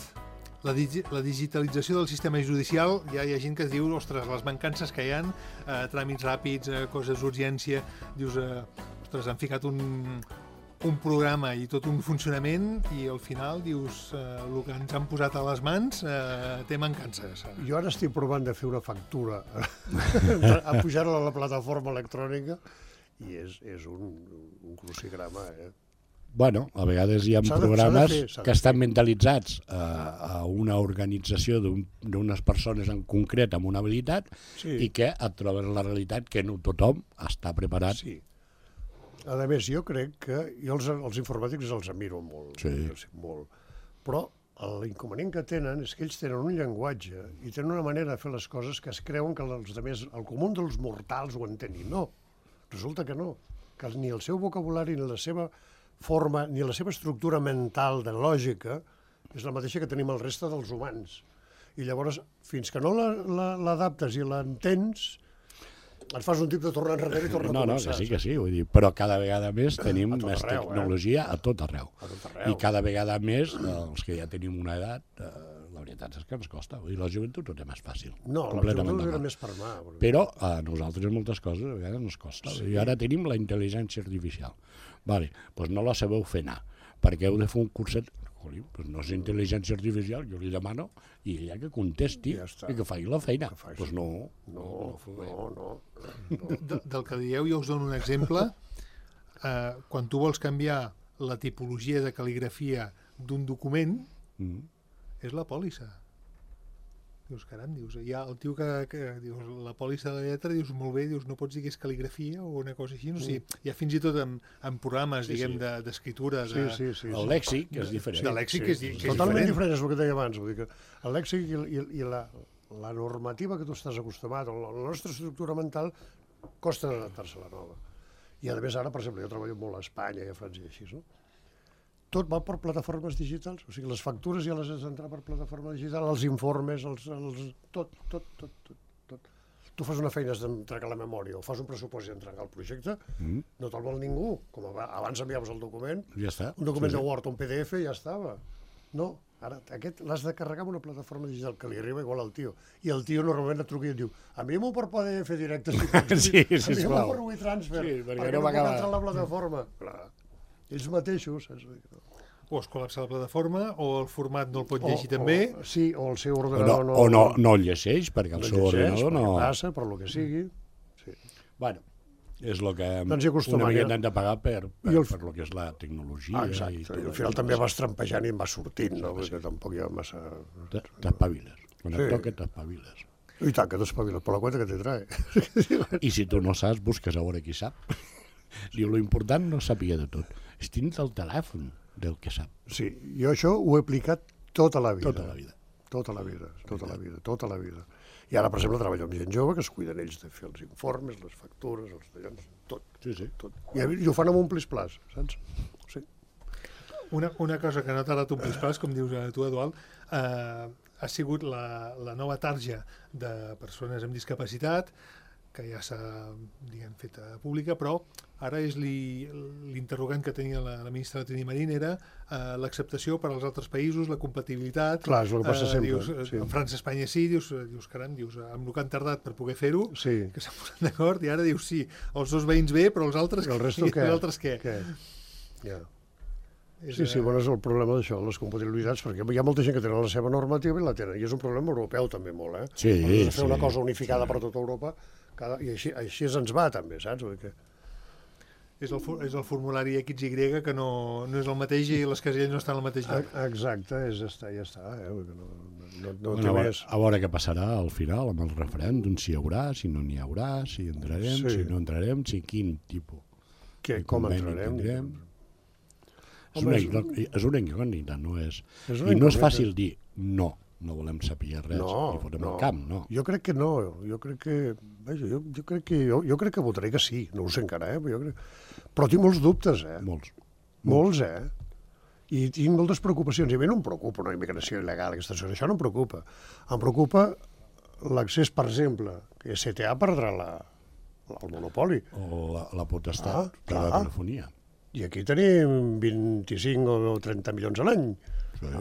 la, digi la digitalització del sistema judicial, ja hi ha gent que es diu, ostres, les mancances que hi ha, uh, tràmits ràpids, uh, coses d'urgència, dius, uh, ostres, han ficat un... un programa i tot un funcionament i al final dius eh, el que ens han posat a les mans eh, té mancances. Jo ara estic provant de fer una factura a pujar-la a la plataforma electrònica i és, és un, un crucigrama. Eh? Bueno, a vegades hi ha de, programes de fer, que estan mentalitzats a, a una organització d'unes un, persones en concret amb una habilitat sí. i que et trobes la realitat que no tothom està preparat. Sí. A més, jo crec que jo els, els informàtics els admiro molt, sí. molt, però l'inconvenient que tenen és que ells tenen un llenguatge i tenen una manera de fer les coses que es creuen que els altres, el comú dels mortals ho entenguin. No, resulta que no, que ni el seu vocabulari, ni la seva forma, ni la seva estructura mental de lògica és la mateixa que tenim el reste dels humans. I llavors, fins que no l'adaptes i l'entens, et fas un tip de tornar enrere i tornar no, a començar. No, que sí, que sí, vull dir, però cada vegada més tenim més arreu, tecnologia eh? a tot arreu. A tot arreu. I cada vegada més, els que ja tenim una edat, eh, la veritat és que ens costa. Vull dir, la joventut ho té més fàcil. No, la joventut era més per mà. Perquè... Però a nosaltres moltes coses a vegades ens costa. Sí. I ara tenim la intel·ligència artificial. Vale, doncs no la sabeu fer anar, perquè heu de fer un curset... Joli, doncs no és intel·ligència artificial, jo li demano i ella que contesti ja i que faci la feina. Doncs pues no, no, no, no, no. De, del que dieu, jo us dono un exemple. Eh, quan tu vols canviar la tipologia de cal·ligrafia d'un document, mm. és la pòlissa. Dius, caram, dius, hi ha el tio que, que dius, la pòlissa de la lletra, dius, molt bé, dius, no pots dir que és cal·ligrafia o una cosa així, no? O sigui, hi ha fins i tot en, en programes, sí, diguem, sí. d'escriptura... De, sí, sí, sí, el lèxic és diferent. De lèxic sí, és, que és totalment diferent. diferent, és el que deia abans. Vull dir que el lèxic i, i, i la, la normativa que tu estàs acostumat, la, la nostra estructura mental, costa d'adaptar-se a la nova. I a més ara, per exemple, jo treballo molt a Espanya i a França i així, no? Tot va per plataformes digitals, o sigui, les factures ja les has d'entrar per plataforma digital, els informes, els, els, tot, tot, tot, tot, tot. Tu fas una feina, has d'entregar la memòria, o fas un pressupost i entregar el projecte, mm. no te'l vol ningú, com abans enviaves el document, ja està. un document sí, de Word o un P D F, ja estava. No, ara aquest l'has de carregar en una plataforma digital que li arriba igual al tio, i el tio normalment et truca i et diu, envia'm-ho per P D F directe, si pots, sí, sí, envia'm-ho per WeTransfer, sí, perquè, perquè no, no puc acaba... entrar a la plataforma. Clar. Ells mateixos... És... O es col·lapsa la plataforma, o el format no el pot llegir o, també. O, sí, o el seu ordenador no... no... O no, no el llegeix, perquè el no seu llegeix, ordenador no... passa, per lo que sigui. Sí. Bueno, és el que doncs una miqueta hem de pagar per, per, el... per lo que és la tecnologia. Ah, exacte, i, tot i al final també vas trampejant i em vas sortint, no? Sí. Perquè tampoc hi ha massa... T'espaviles. Quan sí. et toca, t'espaviles. I tant, que t'espaviles, per la cuenta que te trae. I si tu no saps, busques a veure qui sap. Diu, lo important no sàpiga de tot. És dins del telèfon del que sap. Sí, jo això ho he aplicat tota la vida. Tota la vida. Tota la vida, tota la vida, tota la vida. I ara, per exemple, treballo amb gent jove que es cuiden ells de fer els informes, les factures, els tallons, tot. Sí, sí. Tot. I, I ho fan amb un plis-plas, saps? Sí. Una, una cosa que no t'ha dat un plis-plas, com dius tu, Eduard, eh, ha sigut la, la nova tarja de persones amb discapacitat, que ja s'ha, diguem, fet pública, però ara és l'interrogant que tenia la, la ministra Trini Marín era uh, l'acceptació per als altres països, la compatibilitat. Clar, és el que passa uh, sempre. Dius, sí. En França, Espanya sí, dius, dius caram, dius, amb el que han tardat per poder fer-ho, sí. que s'han posat d'acord, i ara dius sí, els dos veïns bé, però els altres, el resto què? Els altres què? què? Ja. Sí, sí, bueno, és el problema d'això, les compatibilitats, perquè hi ha molta gent que tenen la seva normativa i la tenen, i és un problema europeu també molt, eh? Sí, Hem de fer sí, una cosa unificada sí. per tota Europa, cada, i així, així ens va també, saps? Que... És, el, és el formulari X Y que no, no és el mateix i les caselles no estan al mateix lloc. Exacte, és, ja està, ja està, eh? No, no, no, no bueno, té a, més. A veure què passarà al final amb el referèndum, si hi haurà, si no n'hi haurà, si entrarem, sí. si no entrarem, si quin tipus. Que, com entrarem? Tindrem. És una, és una incògnita, no és... és I no és fàcil dir no, no volem saber res no, i fotem no. el camp, no. Jo crec que no, jo crec que... Vaja, jo, jo, crec que jo, jo crec que votaré que sí, no ho sé encara, eh? Però, jo crec... però tinc molts dubtes, eh? Molts. Molts, eh? I tinc moltes preocupacions. I a mi no em preocupa una immigració il·legal, aquesta cosa. Això no em preocupa. Em preocupa l'accés, per exemple, que S T A perdrà la, el monopoli. O la, la potestat ah, de la telefonia. I aquí tenim vint-i-cinc o trenta milions a l'any. Sí.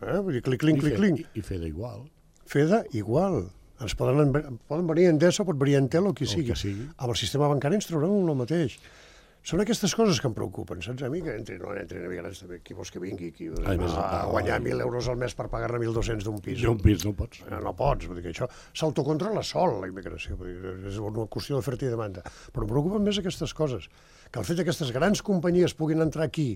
Eh? Vull dir, clic, clic, clic, clic. I, i Feda igual. Feda igual. Ens poden, poden venir Endesa, pot venir Entel o qui o sigui. Que sigui. Amb el sistema bancari ens trauran el mateix. Són aquestes coses que em preocupen, saps? A mi que entrin o no entrin emigrants també, qui vols que vingui, qui Ai, més, a guanyar mil euros al mes per pagar-ne mil dos-cents d'un pis. D'un pis no pots. No, no pots, vull dir que això s'autocontrola sol, la immigració, vull dir, és una qüestió d'oferta i demanda. Però em preocupen més aquestes coses, que el fet que aquestes grans companyies puguin entrar aquí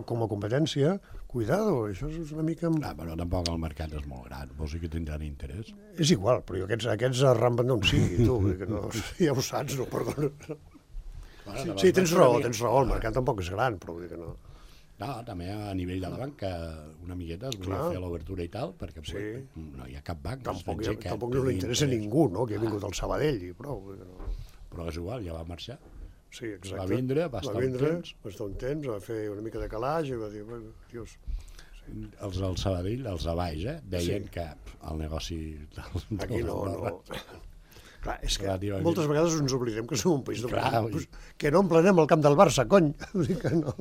com a competència, cuidado, això és una mica... Clar, però tampoc el mercat és molt gran, vols dir que tindran interès? És igual, però aquests, aquests arramben d'on sigui, tu, vull dir que no, ja ho saps, no, perdona. Bueno, sí, sí, tens raó, tens raó, el mercat tampoc és gran, però vull dir que no. No, també a nivell de la banca, una miqueta es volia fer l'obertura i tal, perquè sí. no hi ha cap banc. Tampoc, ha, tampoc no li interessa a ningú, no?, que ha vingut al Sabadell i prou. No. Però és igual, ja va marxar. Sí, exacte. Va vindre, va estar va vindre, un temps. Va estar un temps, va fer una mica de calaix i va dir, bueno, dius... Sí. Els del Sabadell, els de baix, eh, deien sí. que el negoci... Del, aquí no, no... Clar, és que Relativament. Moltes vegades ens oblidem que som un país de Clar, pues, que no emplenem el camp del Barça, cony. Que no.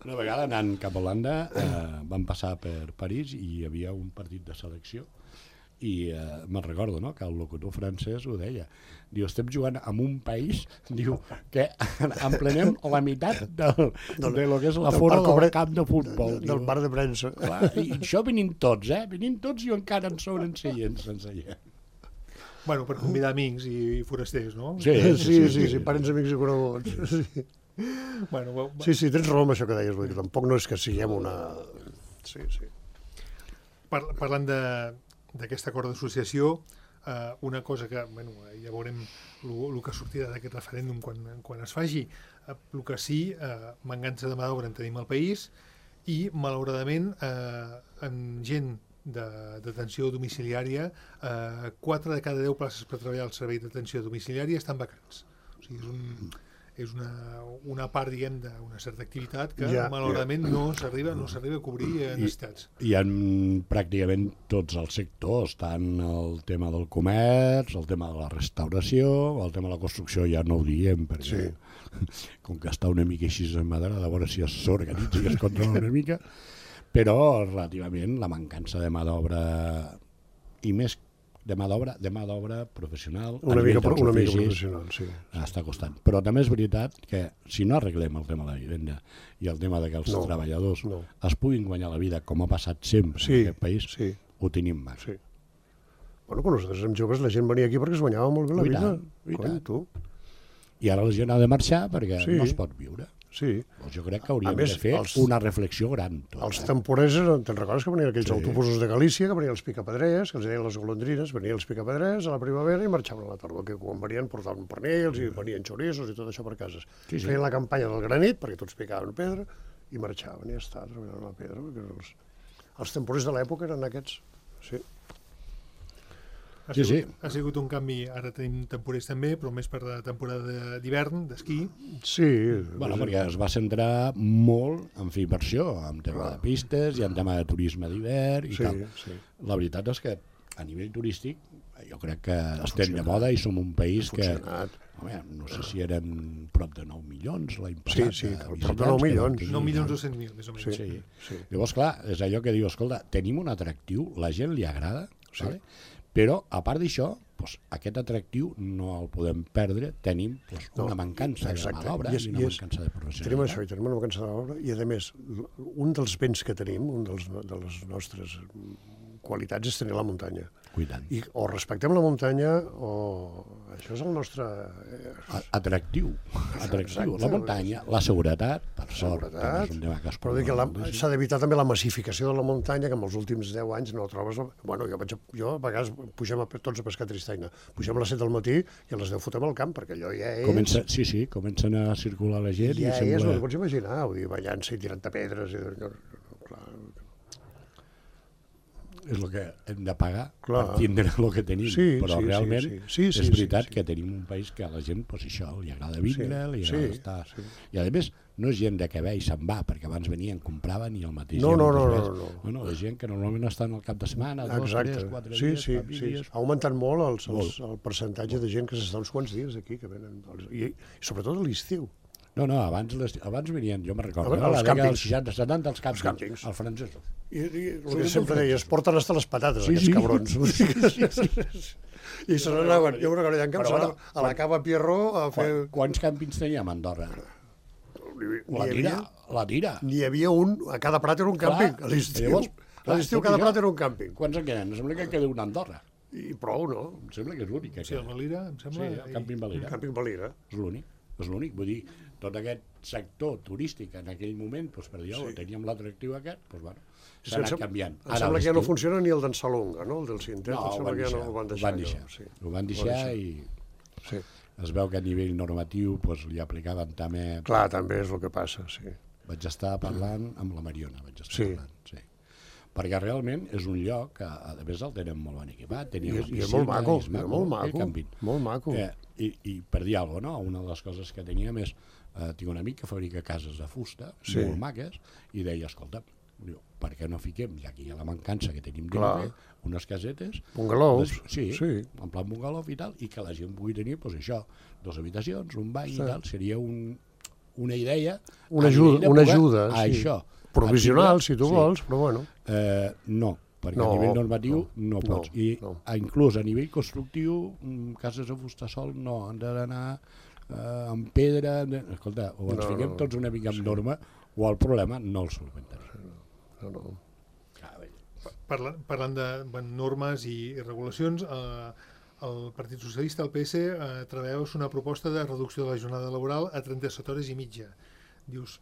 Una vegada anant cap a Holanda eh, vam passar per París i hi havia un partit de selecció i eh, me'n recordo, no?, que el locutor francès ho deia. Diu, estem jugant en un país, diu, que emplenem la meitat del, del, de lo que és la fora del, del camp de futbol. Del, del bar de premsa. Clar, i això venint tots, eh? Venint tots i encara en sobren seients sense gent. Bueno, per convidar amics i forasters, no? Sí, sí, sí, sí, sí, sí parents, amics i coneguts. Sí. Bueno, va, sí, sí, tens raó amb això que deies, vull dir, tampoc no és que siguem una... Sí, sí. Par parlant d'aquest acord d'associació, eh, una cosa que, bueno, ja veurem el que sortirà d'aquest referèndum quan, quan es faci, el que sí, eh, mancança de mà d'obra en tenim al país i, malauradament, eh, en gent de detenció domiciliària, eh, quatre de cada deu places per treballar al servei d'atenció domiciliària estan vacants. O sigui, és, un, és una, una part, diguem, d'una certa activitat que ja, malauradament ja. no s'arriba no s'arriba a cobrir eh, necessitats. Hi ha pràcticament tots els sectors, tant el tema del comerç, el tema de la restauració, el tema de la construcció ja no ho diem, perquè sí. com que està una mica així emmadrada, a veure si s'organitza i es controla una mica, però relativament la mancança de mà d'obra i més de mà d'obra de mà d'obra professional una mica, una mica professional, sí, sí. Està costant. Però també és veritat que si no arreglem el tema de la vivenda i el tema de que els no, treballadors no. es puguin guanyar la vida com ha passat sempre sí, en aquest país, sí. ho tenim mal. Sí. Bueno, quan nosaltres érem joves la gent venia aquí perquè es guanyava molt bé la vida. Coi, tu. I ara la gent ha de marxar perquè sí. no es pot viure. Sí. Doncs jo crec que hauríem més, de fer els, una reflexió gran. Tot, els eh? temporers, te'n recordes que venien aquells sí. autobusos de Galícia, que venien els picapedrers, que els deien les golondrines, venien els picapedrers a la primavera i marxaven a la tardor, que quan venien portaven pernils i venien xorissos i tot això per cases. Sí, sí. Feien la campanya del granit, perquè tots picaven pedra, i marxaven, i ja està, treballant la pedra, perquè els, els temporers de l'època eren aquests. Sí. Ha sigut, sí, sí. ha sigut un canvi, ara tenim temporers també, però més per la temporada d'hivern, d'esquí. Sí. Bueno, perquè es va centrar molt en fer inversió, en tema de pistes i en tema de turisme d'hivern i sí, tal. Sí. La veritat és que a nivell turístic jo crec que estem de moda i som un país que... Home, no sé si eren prop de nou milions l'any passat. Sí, sí, prop de nou milions. nou milions dos-cents mil, més o menys. Sí, sí. Llavors, clar, és allò que diu, escolta, tenim un atractiu, la gent li agrada, sí. Vale? Però, a part d'això, doncs, aquest atractiu no el podem perdre, tenim doncs, una mancança de mà d'obra i una mancança de professionalitat. Tenim això, i tenim una mancança d'obra, i a més, un dels béns que tenim, un dels, de les nostres qualitats és tenir la muntanya. Cuidant. I o respectem la muntanya o... Això és el nostre... Atractiu. Atractiu. La muntanya, la seguretat, per sort, també és un tema que es però que la, s'ha d'evitar també la massificació de la muntanya, que en els últims deu anys no trobes... Bueno, jo, vaig a, jo a vegades pugem a, tots a pescar tristaina. Pugem a les set del matí i a les deu fotem al camp, perquè allò ja és... Comença, sí, sí, comencen a circular la gent ja i sembla... Ja és, no ho pots imaginar, vull dir, ballant-se i tirant-te pedres... I... Clar, és el que hem de pagar clar. Per tindre el que tenim, sí, però sí, realment sí, sí. Sí, sí, és veritat sí, sí. que tenim un país que a la gent, pues, això, li agrada vindre, sí, li agrada sí, estar... Sí. I a més, no és gent de que ve i se'n va, perquè abans venien, compraven i el mateix... No, no, no, no, no, no. no, no. La gent que normalment estan al cap de setmana, dos, exacte. tres, quatre sí, dies, sí, famílies... Sí. Ha augmentat molt, els, els, el percentatge de gent que s'està uns quants dies aquí, que venen... I, i sobretot a l'estiu. No, no, abans, les, abans venien, jo me'n recordo, a la dècada dels seixanta setanta, els càmpings, càmpings, els francesos. I, i el que sempre deies, porten hasta les patates, sí, aquests sí. cabrons. Sí, sí, sí. I se n'anaven, jo recordo, en camp, bueno, a la cava Pierró a fer... Quants càmpings teníem a Andorra? La tira, la tira. N'hi havia un, a cada prat era un càmping, a l'estiu. A l'estiu cada prat era un càmping. Quants en queden? Em sembla que queda una a Andorra. I prou, no? Em sembla que és l'únic que queda. Sí, el Valira, em sembla. Sí, el càmping Valira. El càmping Valira. És l'únic. És l'únic, vull dir, tot aquest sector turístic en aquell moment, doncs, per dir, sí. teníem l'atractiu aquest, doncs, bueno, s'ha anat canviant. Em sembla que ja no funciona ni el d'en Salonga, no? El del Cintet, no, em sembla que ja no ho van deixar. Ho van deixar, sí. ho van deixar i sí. Es veu que a nivell normatiu doncs, li aplicaven també... Clar, també és el que passa, sí. Vaig estar parlant amb la Mariona, vaig estar sí. parlant, sí. Perquè realment és un lloc que, a més, el tenen molt ben equipat. I, i és molt maco, és maco, molt maco, molt maco. Eh, i, I per dir alguna cosa, no? Una de les coses que teníem és, eh, tinc un amic que fabrica cases de fusta, sí. molt maques, i deia, escolta, diu, per què no fiquem, ja que hi ha la mancança que tenim dintre, unes casetes... Bungalows. Sí, sí, en plan bungalow i tal, i que la gent pugui tenir, doncs això, dues habitacions, un bany sí. i tal, seria un, una idea... Una ajuda, una ajuda, a sí. això. Provisional, si tu sí. vols, però bueno. Eh, no, perquè no, a nivell normatiu no, no pots. I no. inclús a nivell constructiu, cases de fusta sol no, han d'anar eh, amb pedra... Escolta, o ens no, fiquem tots una mica amb sí. norma, o el problema no el solventem. No, no. Parlant, parlant de bueno, normes i, i regulacions, eh, el Partit Socialista, el P S, eh, treballeus una proposta de reducció de la jornada laboral a trenta-set hores i mitja. Dius,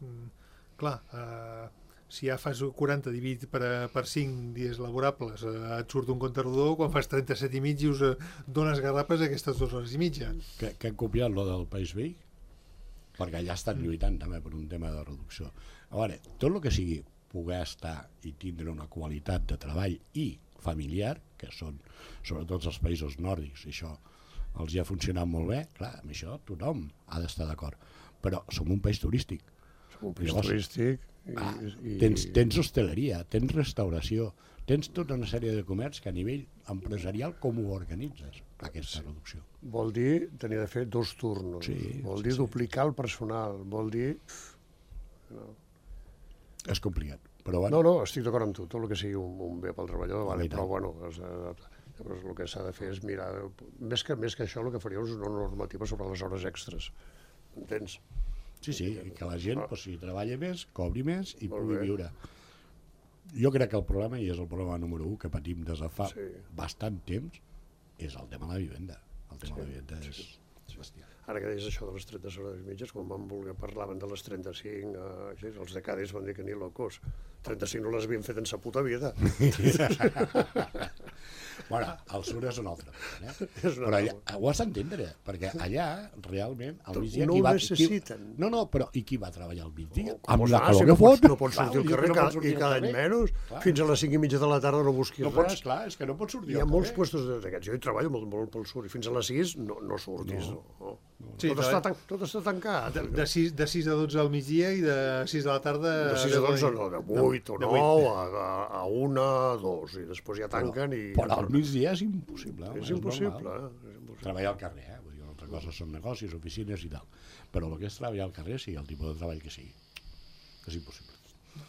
clar, eh, si ja fas quaranta dividit per, per cinc dies laborables, eh, et surt un compte rodó, quan fas trenta-set i mig dius, eh, dones garrapes aquestes dues hores i mitja. Que, que han copiat lo del País Veí? Perquè allà estan lluitant també per un tema de reducció. A veure, tot el que sigui poder estar i tindre una qualitat de treball i familiar, que són sobretot els països nòrdics, i això els hi ha funcionat molt bé, clar, amb això tothom ha d'estar d'acord. Però som un país turístic. Som un país Llavors, turístic... I, ah, i... Tens, tens hostaleria, tens restauració, tens tota una sèrie de comerç que a nivell empresarial com ho organitzes, aquesta reducció? Vol dir tenir de fer dos turnos, sí, vol sí, dir sí. duplicar el personal, vol dir... No. És complicat, però bueno... No, no, estic d'acord amb tu, tot el que sigui un, un bé pel treballador, vale, però bueno, és, llavors el que s'ha de fer és mirar... Més que, més que això, el que faria és una normativa sobre les hores extres, entens? Sí, sí, i que la gent, pues, si treballa més, cobri més i pugui viure. Jo crec que el problema, i és el problema número un que patim des de fa sí. bastant temps, és el tema de la vivenda. El tema sí, de la vivenda és sí. bestial. Ara que deies això de les trenta hores i mitges, quan van voler parlaven de les trenta-cinc, eh, així, els de Cádiz van dir que ni locos. trenta-cinc no les havien fet en sa puta vida. Bueno, el sur és un altre. Eh? Però allà, ho has d'entendre, perquè allà, realment, al migdia... No qui ho va, necessiten. Qui, no, no, però i qui va treballar al migdia? Oh, amb la calor si que no fot? No pots sortir al carrer cada, i cada any menys. Clar. Fins a les cinc i mitja de la tarda no busquis no pots, res. Clar, és que no pots sortir Hi ha molts puestos d'aquests. Jo hi treballo molt, molt pel sur i fins a les sis no, no surtis. No. No. Sí, tot, de- està tan, tot està tancat. De, de, sis, de sis a dotze al migdia i de sis de la tarda... De sis a dotze, no, de vuit o de nou, a, a, a una, a dos, i després ja tanquen i... Però al migdia és impossible. home, És impossible, normal. eh? És impossible. Treballar al carrer, eh? Vull dir, una altra cosa són negocis, oficines i tal. Però el que és treballar al carrer, sigui el tipus de treball que sigui. És impossible.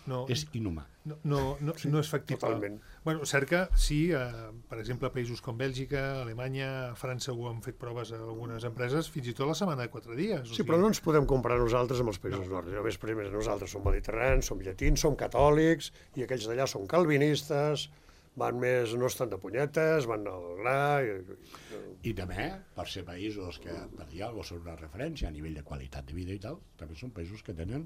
No, És inhumà. no, no, no, no és factible. totalment. Bueno, cert que sí, eh, per exemple, països com Bèlgica, Alemanya, França ho han fet proves a algunes empreses, fins i tot la setmana de quatre dies. O Sí, però no ens podem comparar nosaltres amb els països no. nòrdics. A més, primer, nosaltres som mediterranis, som llatins, som catòlics, i aquells d'allà són calvinistes, van més, no estan de punyetes, van al gra... I... I també, per ser països que, per dir alguna cosa, són una referència a nivell de qualitat de vida i tal, també són països que tenen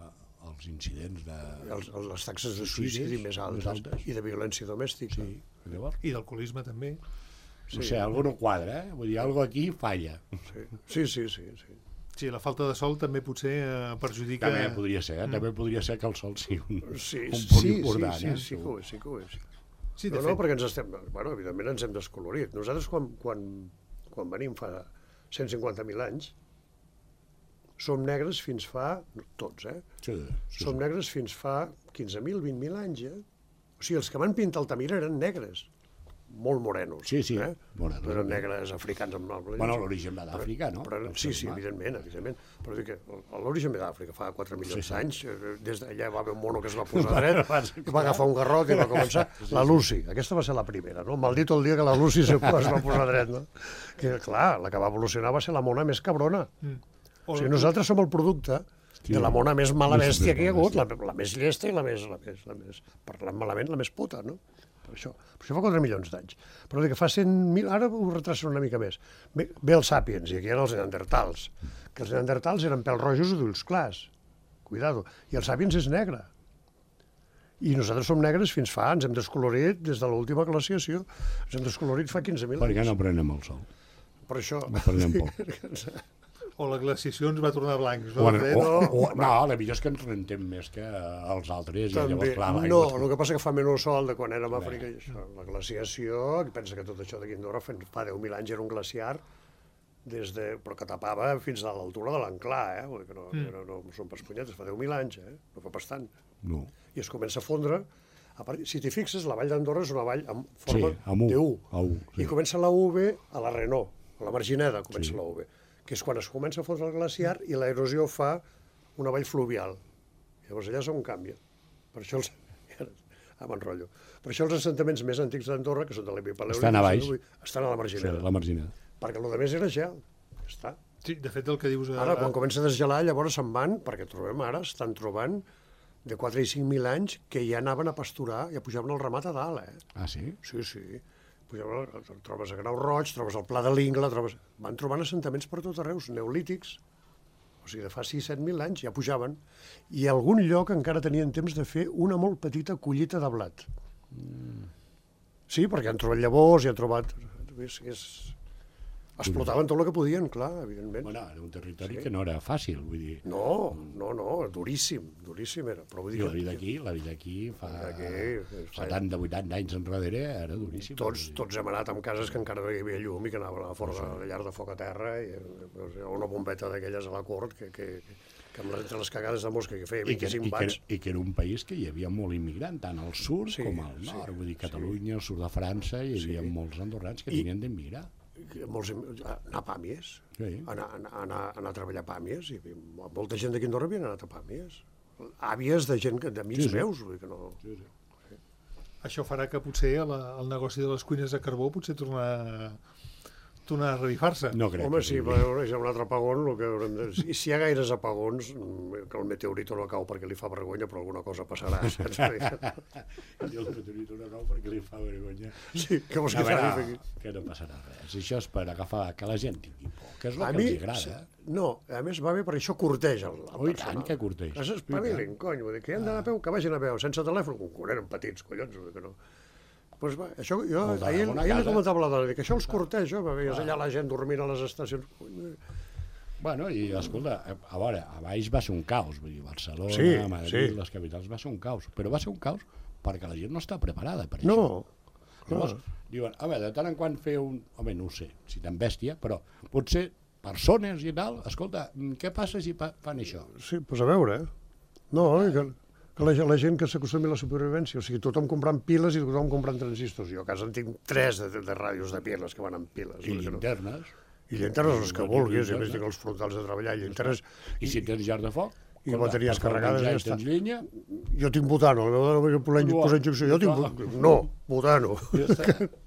eh, els incidents de... Els, les taxes de Suïcidis suïcidi més altes, més altes. i de violència domèstica. Sí, llavors, I d'alcoholisme també. sí. No sé, algú no quadra, eh? Vull dir, algo aquí falla. Sí, sí, sí. sí, sí. Sí, la falta de sol també potser eh, perjudica... També podria ser, eh? També podria ser que el sol sigui un, Sí, un sí, punt sí, important, sí, eh? sí, que ho és, sí que ho és. Sí, de no, fet. no, perquè ens estem... Bueno, evidentment ens hem descolorit. Nosaltres, quan, quan, quan venim fa cent cinquanta mil anys, som negres fins fa... no, tots, eh? Sí, sí, Som sí. negres fins fa quinze mil, vint mil anys, eh? O sigui, els que van pintar Altamira eren negres, molt morenos. Sí, sí, Eh? morenos. No eren negres africans amb noble. Bueno, l'origen va d'Àfrica, no? Però, El sí, ser sí, humà. evidentment, evidentment. Però dic que l'origen ve d'Àfrica, fa quatre milions Sí, sí. d'anys. eh, Des d'allà va haver un mono que es va posar dret, Va, i va agafar un garrot i va començar. La Lucy, aquesta va ser la primera, no? Maldito el dia que la Lucy se es va posar dret, no? Que, clar, la que va evolucionar va ser la mona més cabrona. Mm. O sigui, nosaltres som el producte de la mona més mala Més- bèstia més que hi ha mala hagut, la, la més llesta i la més, la més, la més, parlant malament, la més puta, no? Per això, per això fa quatre milions d'anys. Però dic que fa cent mil, ara ho retracen una mica més. Ve, ve els sàpiens, i aquí eren els neandertals, que els neandertals eren pèls rojos i d'ulls clars. Cuidado. I els sàpiens és negre. I nosaltres som negres fins fa, ens hem descolorit des de l'última glaciació, ens hem descolorit fa quinze mil Per anys. què no prenem el sol? Per això... No prenem poc. O la glaciació ens va tornar blancs, no? O, De fet, o, o, no, la millor és que ens rentem més que els altres. I També. llavors, clar, l'aigua No, és- el que passa que fa menys sol de quan érem a Àfrica i això. La glaciació, que pensa que tot això d'aquí a Andorra fa fa deu mil anys era un glaciar, des de, però que tapava fins a l'altura de l'Anclà, eh? Vull dir que no, Mm. no, no, no són pas punyetes, fa deu mil anys, eh? No fa pas tant. No. I es comença a fondre. A part, si t'hi fixes, la vall d'Andorra és una vall amb forma Sí, amb U, de U. a U, sí. I comença la U V a la Renault, a la Margineda comença Sí. la U V, que és quan es comença a fondre el glaciar i l'erosió fa una vall fluvial. Llavors allà és on canvia. Per això els... Ah, m'enrotllo. Per això els assentaments més antics d'Andorra, que són de l'Epipaleolític... Estan a baix. Estan a la Sí, Margineda. la marginada. Perquè el que més era gel. Ja està. Sí, de fet, el que dius... Ara, quan comença a desgelar, llavors se'n van, perquè trobem ara, estan trobant de quatre i cinc mil anys que ja anaven a pasturar, ja pujaven el ramat a dalt, eh? Ah, sí? Sí, sí. Pujaven, trobes a Grau Roig, trobes el Pla de l'Ingla, trobes... Van trobant assentaments per tot arreu, neolítics, o sigui, de fa sis set mil anys ja pujaven, i a algun lloc encara tenien temps de fer una molt petita collita de blat. Mm. Sí, perquè han trobat llavors i han trobat... És, és... Explotaven tot el que podien, clar, evidentment. Bueno, era un territori Sí. que no era fàcil, vull dir... No, no, no, duríssim, duríssim era. Però vull I dir la que- vida aquí, la vida aquí fa La vida aquí, setanta vuitanta anys enrere era duríssim. Tots, tots hem anat amb cases que encara no hi havia llum i que anaven a fora de la llar de foc a terra i eh, una bombeta d'aquelles a la cort que, que, que amb les, entre les cagades de mosca que feia I que, i, vint-i-cinc que, watts. I que era un país que hi havia molt immigrant, tant al sud Sí, com al sí, nord. Vull dir, sí. Catalunya, el sud de França, hi havia Sí. molts andorrans que I- tenien d'emigrar. Molts, anar a Pàmies, Sí. anar, anar, anar, anar a treballar a Pàmies, i molta gent d'aquí a Andorra havia anat a Pàmies. Àvies de gent, que- d'amics Sí, sí. meus, vull dir que no... Sí, sí. Això farà que potser la, el negoci de les cuines de carbó potser tornar, tornar a revifar-se. No crec Home, que sí, sigui. però hi ha un altre apagón, el que haurem de... Si, si hi ha gaires apagons, mm, que el meteorito no cau perquè li fa vergonya, però alguna cosa passarà, saps? I el meteorito no cau perquè li fa vergonya. Sí, què vols A que veure, faci? que no passarà res. Això és per agafar que la gent tingui por, que és el A que mi, els agrada. no, a més va bé perquè això corteja el, el Oh, i personal. tant que corteja. Es espavilin, cony, vull dir, que han d'anar a peu, que vagin a peu, sense telèfon, quan eren petits, collons, vull dir que no. Pues va, això, jo, El de ahir, una ahir li casa. comentava a la dona, que això els corteja, veies allà la gent dormint a les estacions. Bueno, i escolta, a veure, a baix va ser un caos, vull dir, Barcelona, Sí, Madrid, sí. les capitals, va ser un caos, però va ser un caos perquè la gent no està preparada per No, això. no. Llavors, diuen, a veure, de tant en quant fer un... Home, no ho sé, si tan bèstia, però potser persones i tal, escolta, què passa si fan això? Sí, doncs a veure, eh? No, que, que la, la gent que s'acostumi a la supervivència, o sigui, tothom comprant piles i tothom comprant transistors. Jo a casa en tinc tres de, de ràdios de piles que van amb piles. I llinternes. I llinternes els que vulguis, i a més tinc els frontals de treballar, llinternes... I si tens llar de foc? I bateries carregades, ja està. Tens llenya? Jo tinc butano, el meu posar injecció, jo tinc butano. No, butano.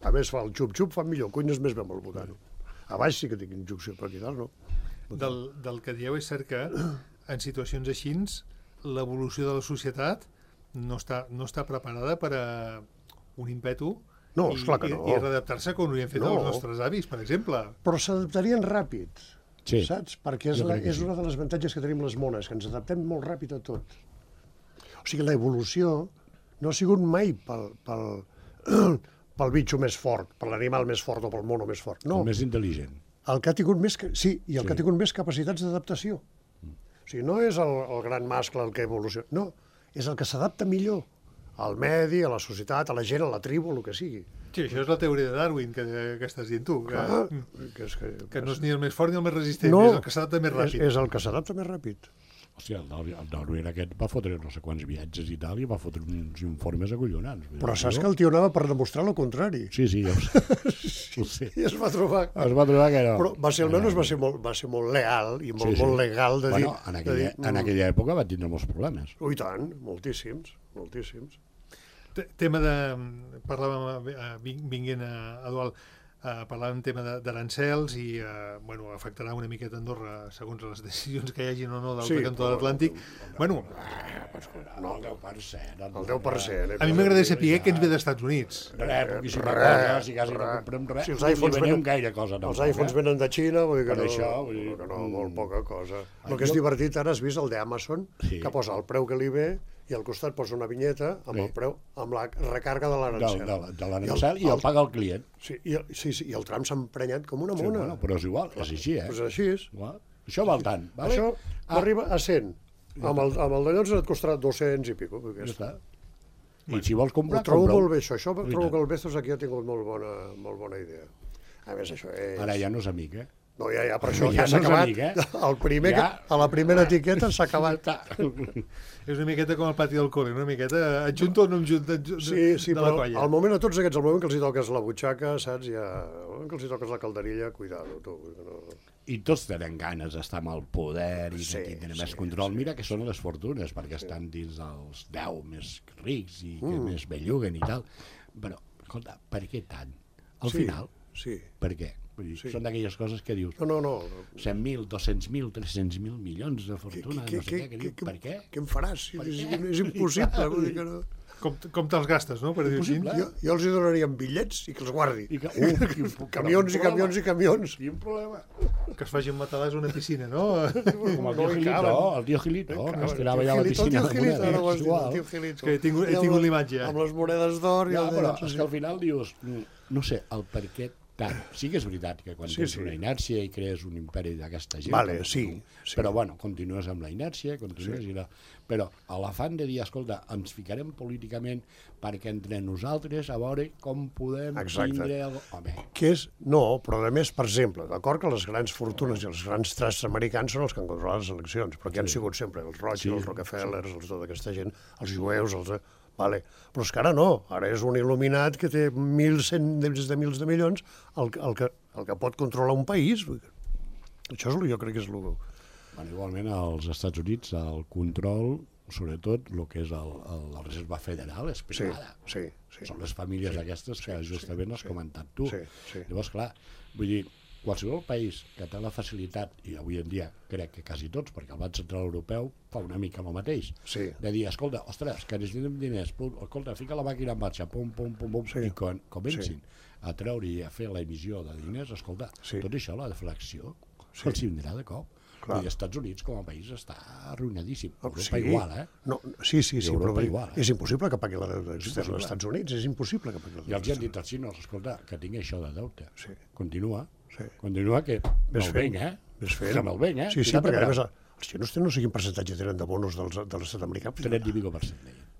A més fa el xup-xup, fa millor, cuines més bé amb el butano. A baix sí que tinc injecció, però aquí dalt no. Del, del que dieu és cert que en situacions així l'evolució de la societat no està, no està preparada per a un ímpetu no, i, esclar que no. i, i readaptar-se com ho havien fet no. els nostres avis, per exemple. Però s'adaptarien ràpid, sí. saps? Perquè és, la, és sí. una de les avantatges que tenim les mones, que ens adaptem molt ràpid a tot. O sigui, l'evolució no ha sigut mai pel, pel, pel bitxo més fort, per l'animal més fort o pel mono més fort. No. El més intel·ligent. El que ha tingut més, sí, i el sí. que ha tingut més capacitats d'adaptació. O sigui, no és el, el gran mascle el que evoluciona, no, és el que s'adapta millor al medi, a la societat, a la gent, a la tribu, el que sigui. Sí, això és la teoria de Darwin que, que estàs dient tu, que, ah, que, és que, que no és ni el més fort ni el més resistent, no, és el que s'adapta més ràpid. És, és el que s'adapta més ràpid. Hòstia, el Darwin aquest va fotre no sé quants viatges i tal, i va fotre uns informes acollonants. Però saps que el tio anava per demostrar el contrari. Sí, sí, ja ho sé. Sí, sí. I es va trobar... Es va trobar que no. Però va ser, almenys va ser molt, va ser molt leal i molt, sí, sí. molt legal de bueno, dir... En aquella, dir, en aquella època va tindre molts problemes. Ui, tant, moltíssims, moltíssims. Tema de... Parlàvem, vinguent a Eduard, Uh, parlàvem tema d'arancels i uh, bueno, afectarà una miqueta Andorra segons les decisions que hi hagin o no del sí, cantó de l'Atlàntic. Bueno, no, el deu per cent. El deu per cent. A mi m'agradaria saber què ens ve d'Estats Units. Res, poquíssima cosa, si quasi no comprem res, si els iPhones venen gaire cosa. Els iPhones venen de Xina, vull dir que no, això, vull dir, que no, molt poca cosa. El que és divertit ara, has vist el d'Amazon, que posa el preu que li ve i al costat posa una vinyeta amb el preu, amb la recàrrega de l'arancel. De, de, de l'arancel i el, el paga el client. Sí, i el, sí, sí, i el tram s'ha emprenyat com una mona. Sí, bueno, però és igual, és així, eh? Pues és així. Igual. Això val tant, vale? Això ah. arriba a cent. Amb el, amb el d'allò et costarà dos-cents i pico. Ja està. I si vols comprar, ho trobo molt bé, això. Això trobo que el Bezos aquí ha tingut molt bona, molt bona idea. A més, això és... Ara ja no és amic, eh? No, ja, ja, per això ja, ja s'ha no acabat. Amic, eh? El primer ja... que, a la primera etiqueta s'ha acabat. És una miqueta com el pati del col·le, una miqueta adjunto o no adjunto de, sí, sí, de la colla. Sí, al moment a tots aquests, al moment que els hi toques la butxaca, saps, ja... Al moment que els hi toques la calderilla, cuidado, tu. No... I tots tenen ganes d'estar amb el poder i sí, de tenir sí, més control. Sí, Mira que sí, són les fortunes, perquè sí. estan dins dels deu més rics i que mm. més belluguen i tal. Però, escolta, per què tant? Al sí, final, sí. per què? Vull dir, sí. Són d'aquelles coses que dius no, no, no. cent mil, dos-cents mil, tres-cents mil milions de fortuna, que, que, no sé què, que, que, diu, que, per què? Què em faràs? Per és, què? és impossible. Vull dir que no. Com, com te'ls gastes, no? Per dir així. Jo, jo els hi donaria bitllets i que els guardi. I que, uh, quin, camions i camions i camions. Quin problema. Que es facin matalàs a una piscina, no? Com el tio Gilito, el tio Gilito, que es tirava allà a la piscina de monedes. Que he tingut, he tingut l'imatge. Amb les monedes d'or. Ja, però és que al final dius, no sé, el per què tant. Sí que és veritat que quan sí, tens sí. una inèrcia i crees un imperi d'aquesta gent, vale, sí, tu, sí. però bueno, continues amb la inèrcia, continues sí. i la... però a l'afany de dir, escolta, ens ficarem políticament perquè entre nosaltres a veure com podem Exacte. tindre... El... Home. Que és, no, però a més, per exemple, d'acord que les grans fortunes i els grans trusts americans són els que han controlat les eleccions, però que sí. han sigut sempre els Rothschild, sí. els Rockefellers, els tota aquesta gent, els jueus, els... Vale. Però és que ara no, ara és un il·luminat que té mil cent des de mils de milions el, el, que, el que pot controlar un país. Això és, jo crec que és el... Bueno, igualment als Estats Units el control, sobretot el que és el, el, la Reserva Federal, és privada. Sí, sí, sí. Són les famílies sí, aquestes que sí, justament sí, has comentat tu. Sí, sí. Llavors, clar, vull dir, qualsevol país que té la facilitat, i avui en dia crec que quasi tots, perquè el Banc Central Europeu fa una mica el mateix, sí. de dir, escolta, ostres, que necessitem diners, pum, escolta, fica la màquina en marxa, pum, pum, pum, pum, sí. i quan comencin sí. a treure i a fer la emissió de diners, escolta, sí. tot això, la deflació, sí. els vindrà de cop. I els Estats Units com a país està arruïnadíssim. Europa sí. igual, eh? No, sí, sí, sí, però igual, eh? és impossible que pagui la deuta externa als Estats Units, és impossible que pagui la I deuta els han dit als xinos, escolta, que tinc això de deute. Sí. Continua, sí. continua que me'l venc, eh? Ves fent. Que me'l venc, eh? Sí, sí, perquè a més els xinos tenen no sé quin percentatge tenen de bonos dels, de l'estat americà. trenta i pico per cent, deien.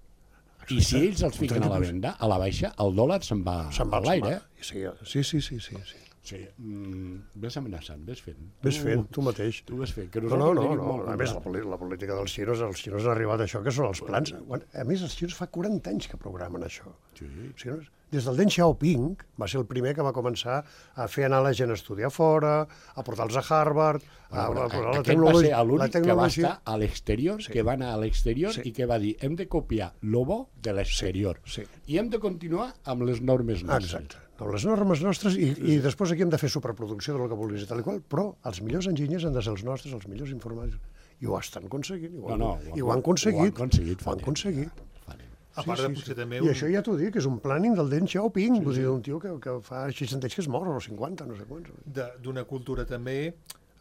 I si ells els fiquen a la venda, a la baixa, el dòlar se'n va, se'n va a l'aire, eh? Sí, sí, sí, sí, sí. Sí, mm, ves amenaçant, ves fent. Ves fent, tu mateix. Tu ves fent, que No, nosaltres no, no, tenim no. molt A més, la, curat. poli- la política dels xinos, els xinos han arribat a això, que són els plans. A més, els xinos fa quaranta anys que programen això. Sí. Els xinos, des del Deng Xiaoping va ser el primer que va començar a fer anar la gent a estudiar fora, a portar-los a Harvard, a, Bueno, a posar la aquest va ser tecnologia. l'únic la que va tecnologia. estar a l'exterior, Sí. que va anar a l'exterior Sí. i que va dir hem de copiar lo bo de l'exterior. Sí, sí. I hem de continuar amb les normes nostres. Exacte. No, les normes nostres i, i després aquí hem de fer superproducció del que vulguis i tal i qual, però els millors enginyers han de ser els nostres, els millors informàtics, i ho estan aconseguint. I ho, No, no, i ho han aconseguit. Ho han aconseguit. Ho fa han temps. aconseguit. Fa temps. A part de potser també... I això ja t'ho dic, és un planning del Deng Xiaoping, sí, vull dir, un tio que, que fa seixanta anys que es mor, o cinquanta, no sé quants. de- d'una cultura també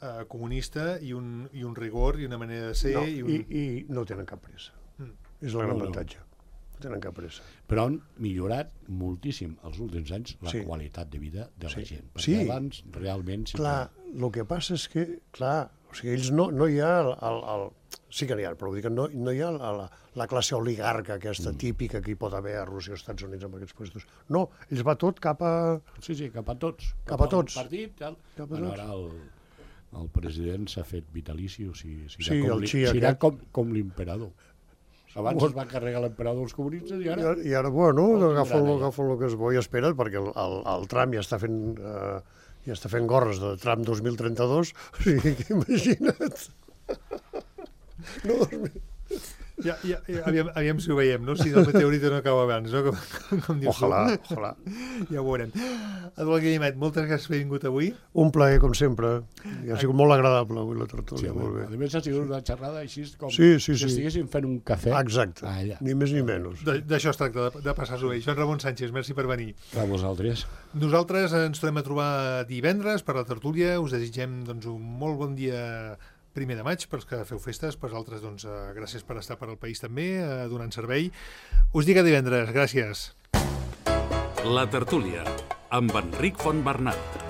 eh, comunista i un, i un rigor i una manera de ser No, i un... i, I no tenen cap pressa. Mm. És el gran No, no. avantatge. No tenen cap pressa. Però han millorat moltíssim els últims anys la Sí. qualitat de vida de la Sí. gent. Perquè Sí. abans realment... Sí Clar, el que passa és que, clar, o sigui, ells no, no hi ha el, el, el... Sí que n'hi ha, però vull dir que no, no hi ha la, la, la classe oligarca aquesta mm. típica que hi pot haver a Rússia o als Estats Units amb aquests puestos. No, ells va tot cap a... Sí, sí, cap a tots. Cap a al tots. Partit, tal. Cap a Bueno, tots. ara el, el president s'ha fet vitalici, o sigui, serà Sí, com, el li- Xi serà aquest. com, com l'imperador. Abans Bueno. es va carregar l'emperador dels comunistes i ara... I ara, i ara bueno, Oh, agafen, tindran allà. agafen el que es bo i espera't, perquè el, el, el Trump ja està fent... Eh, ja està fent gorres de Trump dos mil trenta-dos, o sigui que imagina't. No, dos mil... Ja, ja, ja, aviam, aviam si ho veiem, no? Si el meteorita no cau abans, no? Com, com, com dius Ojalà, tu. ojalà. Ja ho veurem. Eduard Guillemet, moltes gràcies per haver vingut avui. Un plaer, com sempre. I ha sigut molt agradable avui la tertúlia, Sí, molt bé. a més ha sigut una xerrada així com Sí, sí, si sí. estiguéssim fent un cafè Exacte, allà. ni més ni menys. De- D'això es tracta, de, de passar-s'ho bé. Joan Ramon Sánchez, merci per venir. A vosaltres. Nosaltres ens tornem a trobar divendres per la tertúlia. Us desitgem doncs, un molt bon dia primer de maig pels que feu festes, per altres doncs, eh, gràcies per estar per al país també, eh, donant servei. Us dic a divendres, gràcies. La tertúlia, amb Enric Fontbernat.